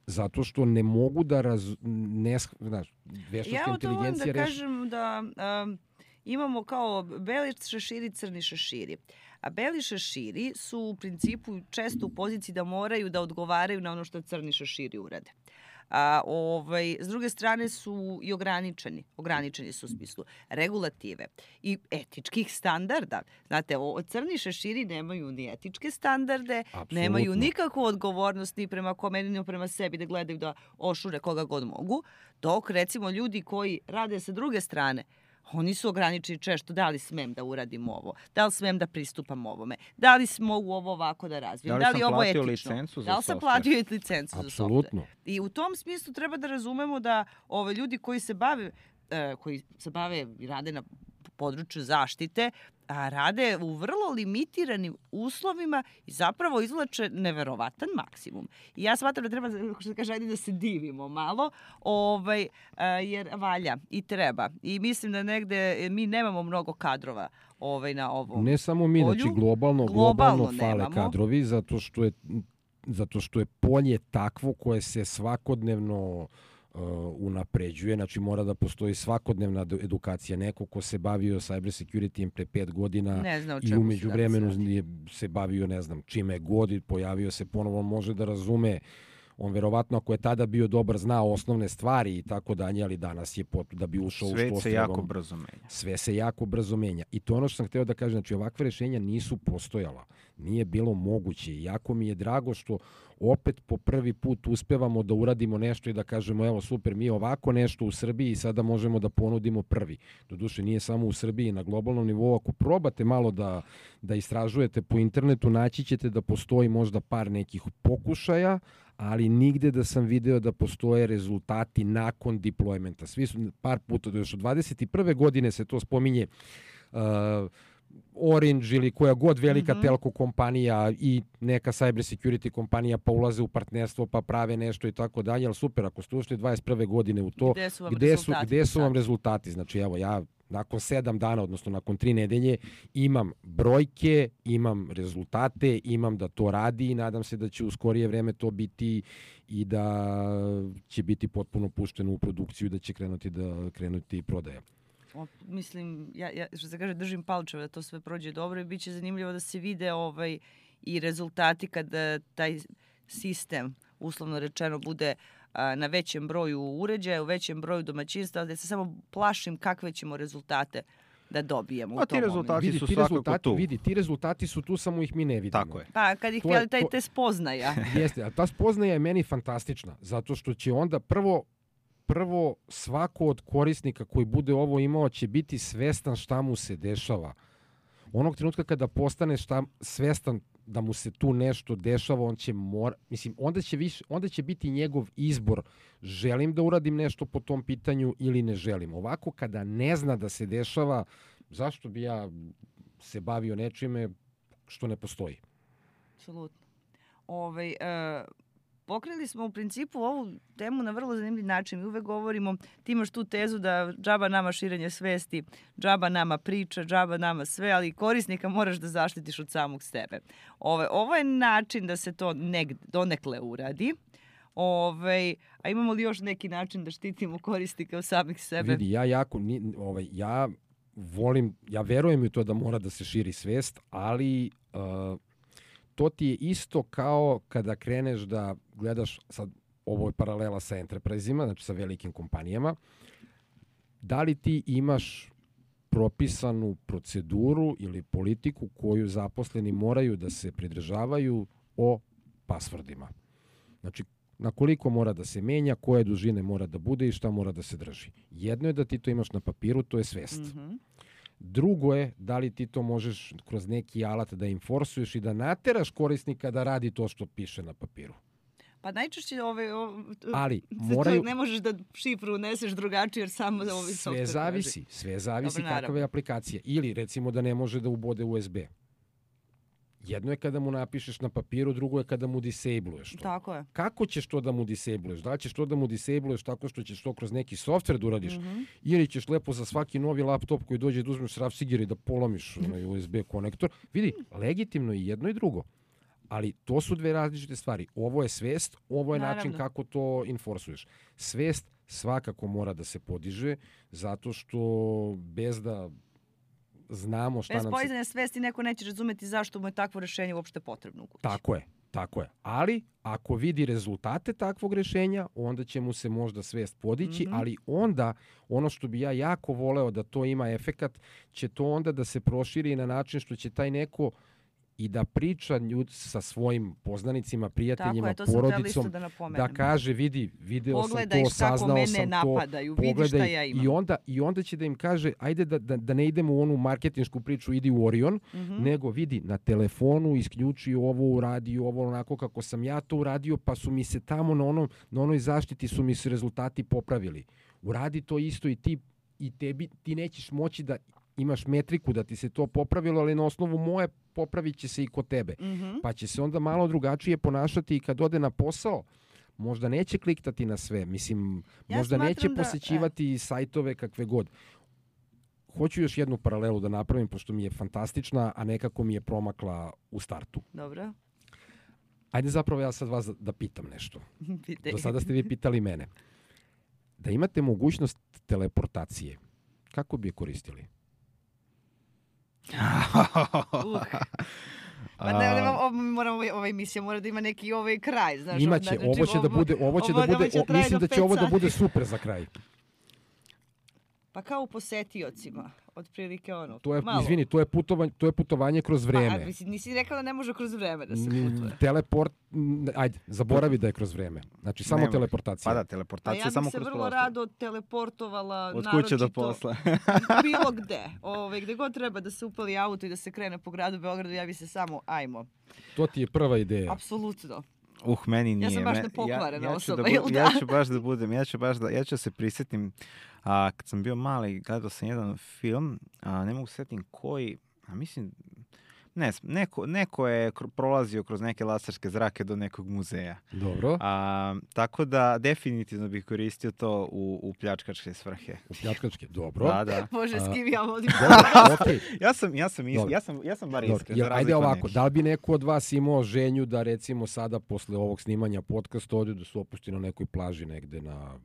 A: Zato što ne mogu da raz... Ne, znaš, veštačka inteligencija
C: Ja o to da kažem da um, imamo kao beli šeširi, crni šeširi. A beli šeširi su u principu često u poziciji da moraju da odgovaraju na ono što crni šeširi urade. A, ovaj, s druge strane su i ograničeni. Ograničeni su u smislu regulative i etičkih standarda. Znate, o, crni šeširi nemaju ni etičke standarde, Absolutno. Nemaju nikakvu odgovornost ni prema kome, ni prema sebi da gledaju da ošure koga god mogu. Dok, recimo, ljudi koji rade sa druge strane, oni su ograničeni često, da li smem da uradim ovo, da li smem da pristupam ovome, da li mogu ovo ovako da razvijem, da li, da li ovo je etično, da li sam platio licencu za software. I u tom smislu treba da razumemo da ove ljudi koji se bave, uh, koji se bave i rade na području zaštite, a rade u vrlo limitiranim uslovima i zapravo izvlače neverovatan maksimum. I ja smatram da treba, što se kaže, ajde da se divimo malo, ovaj, jer valja i treba. I mislim da negde mi nemamo mnogo kadrova ovaj, na ovom
A: Ne samo mi,
C: polju.
A: znači globalno,
C: Globalno
A: globalno fale
C: nemamo.
A: kadrovi, zato što je, zato što je polje takvo koje se svakodnevno uh, unapređuje, znači mora da postoji svakodnevna edukacija. Neko ko se bavio cyber security pre pet godina
C: Ne zna o
A: i
C: čemu se
A: umeđu
C: danas
A: vremenu
C: radi.
A: je se bavio, ne znam, čime god i pojavio se ponovo, on može da razume. On verovatno ako je tada bio dobar, zna osnovne stvari i tako dalje, ali danas je pot, da bi ušao u
B: Svet
A: što
B: se jako brzo menja.
A: Sve se jako brzo menja. I to je ono što sam hteo da kažem, znači ovakve rešenja nisu postojala. Nije bilo moguće. I jako mi je drago što opet po prvi put uspevamo da uradimo nešto i da kažemo evo super, mi ovako nešto u Srbiji i sada možemo da ponudimo prvi. Doduše nije samo u Srbiji, na globalnom nivou. Ako probate malo da, da istražujete po internetu, naći ćete da postoji možda par nekih pokušaja, ali nigde da sam video da postoje rezultati nakon deploymenta. Svi su par puta, još od dvadeset prve godine se to spominje, uh, Orange ili koja god velika mm-hmm. telko kompanija i neka cyber security kompanija pa ulaze u partnerstvo pa prave nešto i tako dalje, ali super, ako ste ušli dvadeset prve godine u to,
C: gde su vam
A: gde su,
C: rezultati?
A: gde su vam rezultati? Znači evo ja nakon sedam dana, odnosno nakon tri nedelje, imam brojke, imam rezultate, imam da to radi i nadam se da će u skorije vreme to biti i da će biti potpuno pušteno u produkciju i da će krenuti da krenuti prodaja.
C: O, mislim, ja, ja što se kaže, držim palčeve da to sve prođe dobro i bit će zanimljivo da se vide ovaj, i rezultati kada taj sistem, uslovno rečeno, bude a, na većem broju uređaja, u većem broju domaćinstva, da se samo plašim kakve ćemo rezultate da dobijemo
B: A
C: u tom
B: ti rezultati
A: Vidi,
B: su
A: ti
B: svakako
A: rezultati,
B: tu.
A: Vidi, ti rezultati su tu, samo ih mi ne vidimo.
B: Tako je.
C: Pa kad ih
A: To je-
C: je, taj
A: to-
C: te spoznaja.
A: Jeste, a ta spoznaja je meni fantastična, zato što će onda prvo prvo svako od korisnika koji bude ovo imao će biti svestan šta mu se dešava. Onog trenutka kada postane šta, svestan da mu se tu nešto dešava, on će mora, mislim, onda će, više, onda će biti njegov izbor, želim da uradim nešto po tom pitanju ili ne želim. Ovako kada ne zna da se dešava, zašto bi ja se bavio nečime što ne postoji?
C: Apsolutno. Ovaj, e, pokrili smo u principu ovu temu na vrlo zanimljiv način. Mi uvek govorimo, ti imaš tu tezu da džaba nama širenje svesti, džaba nama priča, džaba nama sve, ali korisnika moraš da zaštitiš od samog sebe. Ove, ovo je način da se to negde, donekle uradi. Ove, a imamo li još neki način da štitimo korisnika od samih sebe?
A: Vidi, ja jako, ni, ovaj, ja volim, ja verujem u to da mora da se širi svest, ali uh, to ti je isto kao kada kreneš da gledaš, sad ovo je paralela sa enterprise-ima, znači sa velikim kompanijama, da li ti imaš propisanu proceduru ili politiku koju zaposleni moraju da se pridržavaju o pasvordima. Znači, na koliko mora da se menja, koje dužine mora da bude i šta mora da se drži. Jedno je da ti to imaš na papiru, to je svest.
C: Mm-hmm.
A: Drugo je da li ti to možeš kroz neki alat da inforsuješ i da nateraš korisnika da radi to što piše na papiru.
C: Pa najčešće ove, ove,
A: Ali
C: moraju...
A: moraju...
C: ne možeš da šifru uneseš drugačije jer samo ovi
A: Sve
C: software
A: zavisi, sve zavisi
C: Dobro,
A: kakva
C: naravno.
A: je aplikacija. Ili recimo da ne može da ubode U S B. Jedno je kada mu napišeš na papiru, drugo je kada mu disabluješ to.
C: Tako je.
A: Kako ćeš to da mu disabluješ? Da li ćeš to da mu disabluješ tako što ćeš to kroz neki softver da uradiš?
C: Mm-hmm.
A: Ili ćeš lepo za svaki novi laptop koji dođe da uzmeš rafsigir i da polomiš onaj U S B konektor? Vidi, legitimno i jedno i drugo. Ali to su dve različite stvari. Ovo je svest, ovo je
C: Naravno.
A: način kako to inforsuješ. Svest svakako mora da se podiže, zato što bez da znamo šta
C: Bez
A: nam se...
C: podizanja svesti neko neće razumeti zašto mu je takvo rešenje uopšte potrebno u kući.
A: Tako je, tako je. Ali ako vidi rezultate takvog rešenja, onda će mu se možda svest podići,
C: Mhm.
A: ali onda ono što bi ja jako voleo da to ima efekat, će to onda da se proširi na način što će taj neko i da priča ljud sa svojim poznanicima, prijateljima,
C: Tako je, to sam htjela
A: porodicom,
C: isto da napomenem.
A: da kaže, vidi, video
C: Pogledaj
A: sam to,
C: kako
A: saznao
C: mene
A: sam
C: napadaju,
A: to,
C: vidi šta
A: pogledaj.
C: ja imam.
A: I onda, I onda će da im kaže, ajde da, da, da ne idemo u onu marketinšku priču, idi u Orion,
C: Mhm.
A: nego vidi, na telefonu isključi ovo, uradi ovo, onako kako sam ja to uradio, pa su mi se tamo na, onom, na onoj zaštiti su mi se rezultati popravili. Uradi to isto i ti, i tebi, ti nećeš moći da imaš metriku da ti se to popravilo, ali na osnovu moje popravit će se i kod tebe.
C: Mhm.
A: Pa će se onda malo drugačije ponašati i kad ode na posao, možda neće kliktati na sve, mislim,
C: Ja
A: možda
C: smatram
A: neće
C: da-
A: posećivati sajtove kakve god. Hoću još jednu paralelu da napravim, pošto mi je fantastična, a nekako mi je promakla u startu.
C: Dobro.
A: Ajde zapravo ja sad vas da, da pitam nešto.
C: Pitaj.
A: Do sada ste vi pitali mene. Da imate mogućnost teleportacije, kako bi je koristili?
C: Uh. Pa ne, ne, ovo, moramo, ova emisija mora da ima neki ovaj kraj, znaš.
A: Imaće,
C: znači,
A: ovo će da bude, ovo će da
C: ovo
A: bude,
C: će
A: o,
C: traje
A: mislim
C: do
A: da će
C: pet
A: ovo da
C: sati.
A: bude super za kraj.
C: Pa kao u posetiocima, otprilike ono.
A: To je,
C: malo.
A: izvini, to je putovanje, to je putovanje kroz
C: Pa,
A: vreme.
C: a, mislim, nisi rekao da ne može kroz vreme da se
A: Mm,
C: putuje.
A: Teleport, mm, ajde, zaboravi da je kroz vreme. Znači, samo
B: Nema.
A: teleportacija.
B: Pa da,
C: A
B: teleportacija
C: ja bih
B: samo
C: se
B: kroz
C: vrlo
B: prostor.
C: rado teleportovala
B: Od kuće do
C: naročito
B: posla.
C: bilo gde. Ove, gde god treba da se upali auto i da se krene po gradu Beogradu, ja bi se samo, ajmo.
A: To ti je prva ideja.
C: Apsolutno.
B: Uh, meni nije.
C: Ja sam baš
B: Me-
C: nepokvarena
B: ja, ja ću
C: osoba,
B: da
C: jel
B: bu-
C: da?
B: Ja ću baš da budem, ja ću baš da, ja ću se prisjetim, a, kad sam bio mali, gledao sam jedan film, a, ne mogu se sjetim koji, a mislim, ne, znam, neko, neko je kr- prolazio kroz neke laserske zrake do nekog muzeja.
A: Dobro,
B: A, tako da definitivno bih koristio to u, u pljačkačke svrhe.
A: u pljačkačke, dobro.
B: Da, da.
C: Bože,
A: A,
C: s kim ja vodim.
A: Dobro, okej.
B: Ja sam, ja sam, is,
A: Dobro.
B: ja sam, ja sam bar
A: Dobro,
B: iskren.
A: jer
B: za
A: ajde
B: razliku od
A: ovako,
B: nekih.
A: da li bi neko od vas imao želju da recimo sada posle ovog snimanja podcasta ode da se opusti na nekoj plaži negde na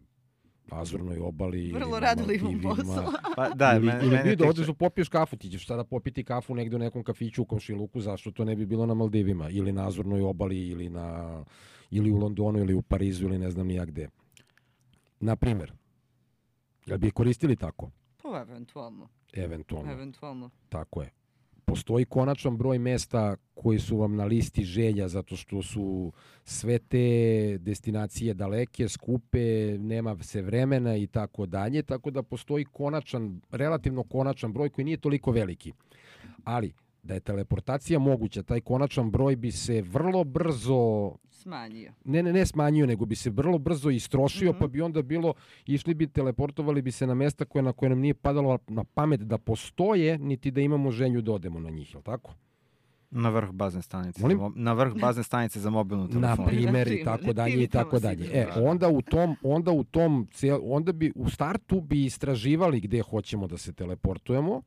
A: Azurnoj obali
C: Vrlo
A: ili na
C: rado imam
A: Maldivima,
C: posla.
B: Pa, da,
A: ili,
B: mene,
A: ili
B: mene
A: vi da
B: tiče-
A: odeš da popiješ kafu, ti ćeš sada popiti kafu negde u nekom kafiću u komšiluku, zašto to ne bi bilo na Maldivima ili na Azurnoj obali ili na ili u Londonu ili u Parizu ili ne znam ni ja gde. Na primer, jel bi je koristili tako?
C: Pa eventualno,
A: Eventualno,
C: eventualno.
A: tako je. Postoji konačan broj mesta koji su vam na listi želja zato što su sve te destinacije daleke, skupe, nema se vremena i tako dalje, tako da postoji konačan, relativno konačan broj koji nije toliko veliki. Ali da je teleportacija moguća, taj konačan broj bi se vrlo brzo,
C: Smanjio.
A: ne, ne, ne smanjio, nego bi se vrlo brzo istrošio,
C: Mhm.
A: pa bi onda bilo, išli bi, teleportovali bi se na mesta koje na koje nam nije padalo na pamet da postoje, niti da imamo želju da odemo na njih, je li tako?
B: Na vrh bazne stanice.
A: Molim?
B: za mo- Na vrh bazne stanice za mobilnu
A: Na
B: telefonu.
A: primer i
C: Na
A: tako
C: primer,
A: dalje
C: ti
A: i tako
C: tamo
A: dalje.
C: sigurno.
A: E, onda u tom, onda u tom, cijel- onda bi u startu bi istraživali gde hoćemo da se teleportujemo,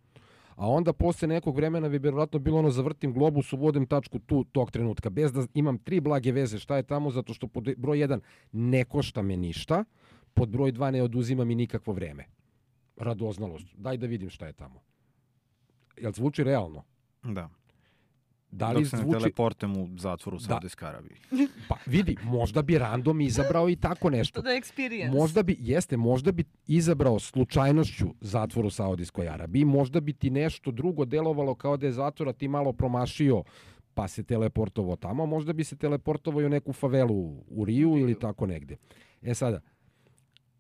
A: a onda posle nekog vremena bi vjerojatno bilo ono zavrtim globus, uvodim tačku tu tog trenutka, bez da imam tri blage veze šta je tamo, zato što pod broj jedan ne košta me ništa, pod broj dva ne oduzima mi nikakvo vreme. Radoznalost. Daj da vidim šta je tamo. Jel zvuči realno?
B: Da.
A: Da li
B: Dok se ne
A: zvuči...
B: teleportem u zatvoru u
A: Da.
B: Saudijskoj Arabiji.
A: Pa vidi, možda bi random izabrao i tako nešto.
C: To da je experience.
A: Možda bi, jeste, možda bi izabrao slučajnošću zatvor u Saudijskoj Arabiji, možda bi ti nešto drugo delovalo kao da je zatvor, a ti malo promašio pa se teleportovao tamo, možda bi se teleportovao i u neku favelu u Riju ili tako negde. E sada,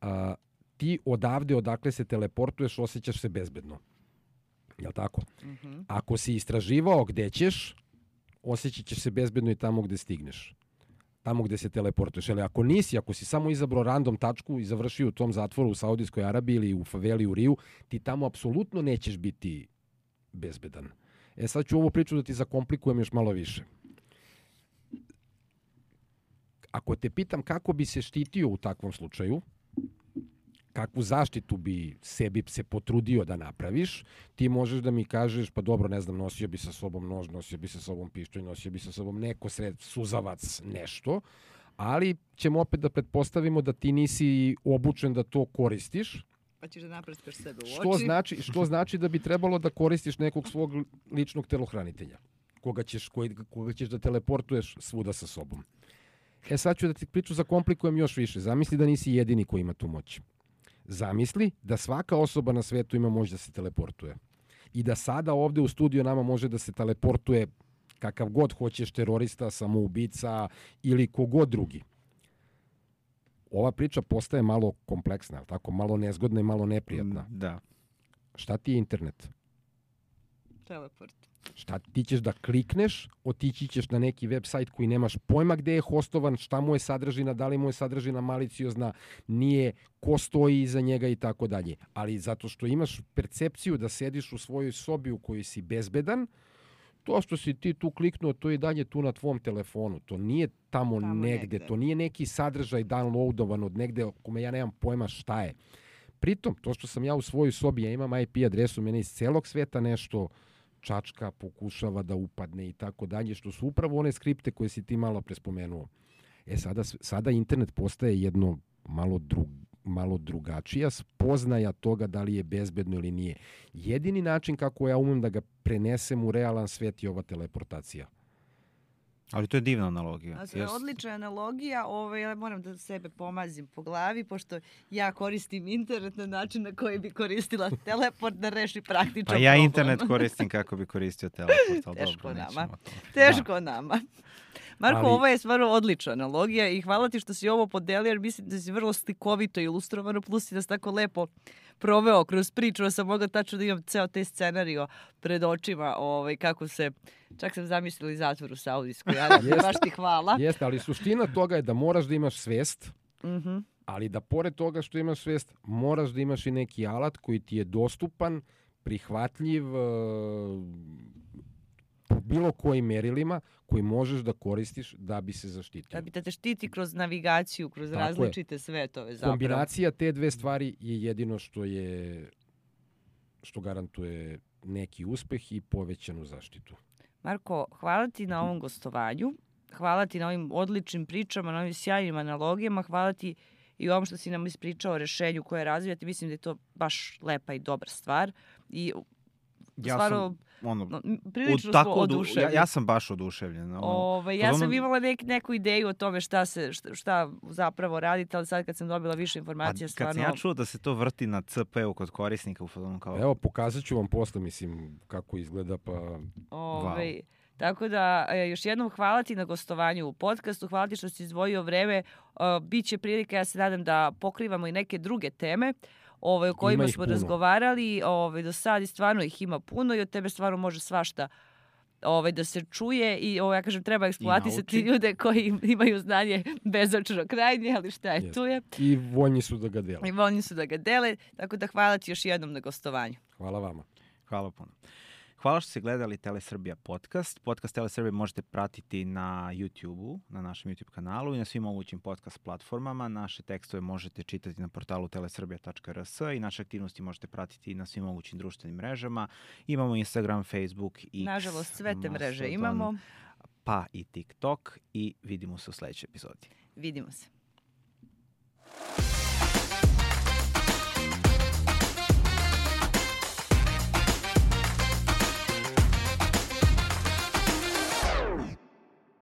A: a, ti odavde odakle se teleportuješ osjećaš se bezbedno. Jel tako?
C: Mhm.
A: Ako si istraživao gde ćeš, osjećat ćeš se bezbedno i tamo gde stigneš. Tamo gde se teleportuješ. Ali ako nisi, ako si samo izabrao random tačku i završio u tom zatvoru u Saudijskoj Arabiji ili u faveli u Riju, ti tamo apsolutno nećeš biti bezbedan. E sad ću ovu priču da ti zakomplikujem još malo više. Ako te pitam kako bi se štitio u takvom slučaju, kakvu zaštitu bi sebi se potrudio da napraviš, ti možeš da mi kažeš, pa dobro, ne znam, nosio bi sa sobom nož, nosio bi sa sobom pištolj, nosio bi sa sobom neko sred, suzavac, nešto, ali ćemo opet da pretpostavimo da ti nisi obučen da to koristiš,
C: Pa ćeš da naprskaš sebe u oči.
A: što znači, što znači da bi trebalo da koristiš nekog svog ličnog telohranitelja, koga ćeš, koji, koga ćeš da teleportuješ svuda sa sobom. E sad ću da ti priču zakomplikujem još više. Zamisli da nisi jedini koji ima tu moć. Zamisli da svaka osoba na svetu ima moć da se teleportuje. I da sada ovde u studiju nama može da se teleportuje kakav god hoćeš terorista, samoubica ili kogod drugi. Ova priča postaje malo kompleksna, tako malo nezgodna i malo neprijatna.
B: Da.
A: Šta ti je internet?
C: Teleport.
A: Šta ti ćeš da klikneš, otići ćeš na neki web sajt koji nemaš pojma gde je hostovan, šta mu je sadržina, da li mu je sadržina maliciozna, nije, ko stoji iza njega i tako dalje. Ali zato što imaš percepciju da sediš u svojoj sobi u kojoj si bezbedan, to što si ti tu kliknuo, to je i dalje tu na tvom telefonu. To nije tamo, tamo negde. negde. To nije neki sadržaj downloadovan od negde o kome ja nemam pojma šta je. Pritom, to što sam ja u svojoj sobi, ja imam I P adresu, mene iz celog sveta nešto čačka, pokušava da upadne i tako dalje, što su upravo one skripte koje si ti malo prespomenuo. E sada, sada internet postaje jedno malo, drug, malo drugačija spoznaja toga da li je bezbedno ili nije. Jedini način kako ja umem da ga prenesem u realan svet je ova teleportacija.
B: Ali to je divna analogija.
C: To je odlična analogija. Ovaj, ja moram da sebe pomazim po glavi, pošto ja koristim internet na način na koji bi koristila teleport da reši praktičan problem.
B: Pa ja internet koristim kako bi koristio teleport. Ali
C: Teško
B: dobro,
C: nama. Teško
B: da.
C: nama. Marko, ali... ovo je stvarno odlična analogija i hvala ti što si ovo podelio, jer mislim da si vrlo slikovito ilustrovano, plus i da si tako lepo proveo kroz priču, da sam mogla tačno da imam ceo taj scenario pred očima, ovaj, kako se, čak sam zamislila i zatvor u Saudijskoj, ali baš ti hvala.
A: Jeste, ali suština toga je da moraš da imaš svest,
C: mm-hmm.
A: ali da pored toga što imaš svest, moraš da imaš i neki alat koji ti je dostupan, prihvatljiv, po bilo kojim merilima koji možeš da koristiš da bi se zaštitio.
C: Da bi te štiti kroz navigaciju, kroz tako različite je. Svetove zapravo.
A: Kombinacija te dve stvari je jedino što je što garantuje neki uspeh i povećanu zaštitu.
C: Marko, hvala ti na ovom gostovanju. Hvala ti na ovim odličnim pričama, na ovim sjajnim analogijama. Hvala ti i ovom što si nam ispričao o rešenju koje razvijate. Mislim da je to baš lepa i dobra stvar. I
B: ja
C: stvarno...
B: sam... Ono,
C: prilično smo oduševljeni.
B: Ja, ja sam baš oduševljen. Ono,
C: Ove, ja sam ono... imala nek, neku ideju o tome šta, se, šta, šta zapravo radite, ali sad kad sam dobila više informacija, stvarno...
B: Kad sam ja čuo da se to vrti na C P-u kod korisnika, u fazonu kao...
A: Evo, pokazat ću vam posle, mislim, kako izgleda, pa...
C: Ove, wow. Tako da, još jednom hvala ti na gostovanju u podcastu, hvala ti što si izdvojio vreme. Uh, Biće prilika, ja se nadam, da pokrivamo i neke druge teme Ove, o kojima smo puno. razgovarali ove, do sad i stvarno ih ima puno i od tebe stvarno može svašta ove, da se čuje i ove, ja kažem, treba eksploatisati ljude koji imaju znanje bezočno krajnje, ali šta je, yes. tu je.
A: I voljni su da ga dele.
C: I voljni su da ga dele, tako da hvala ti još jednom na gostovanju.
A: Hvala vama.
B: Hvala puno. Hvala što ste gledali Telesrbija podcast. Podcast Telesrbija možete pratiti na YouTube-u, na našem YouTube kanalu i na svim mogućim podcast platformama. Naše tekstove možete čitati na portalu teleserbia tačka r s i naše aktivnosti možete pratiti na svim mogućim društvenim mrežama. Imamo Instagram, Facebook, X.
C: Nažalost, sve te mreže imamo.
B: Pa i TikTok i vidimo se u sledećoj epizodi.
C: Vidimo se.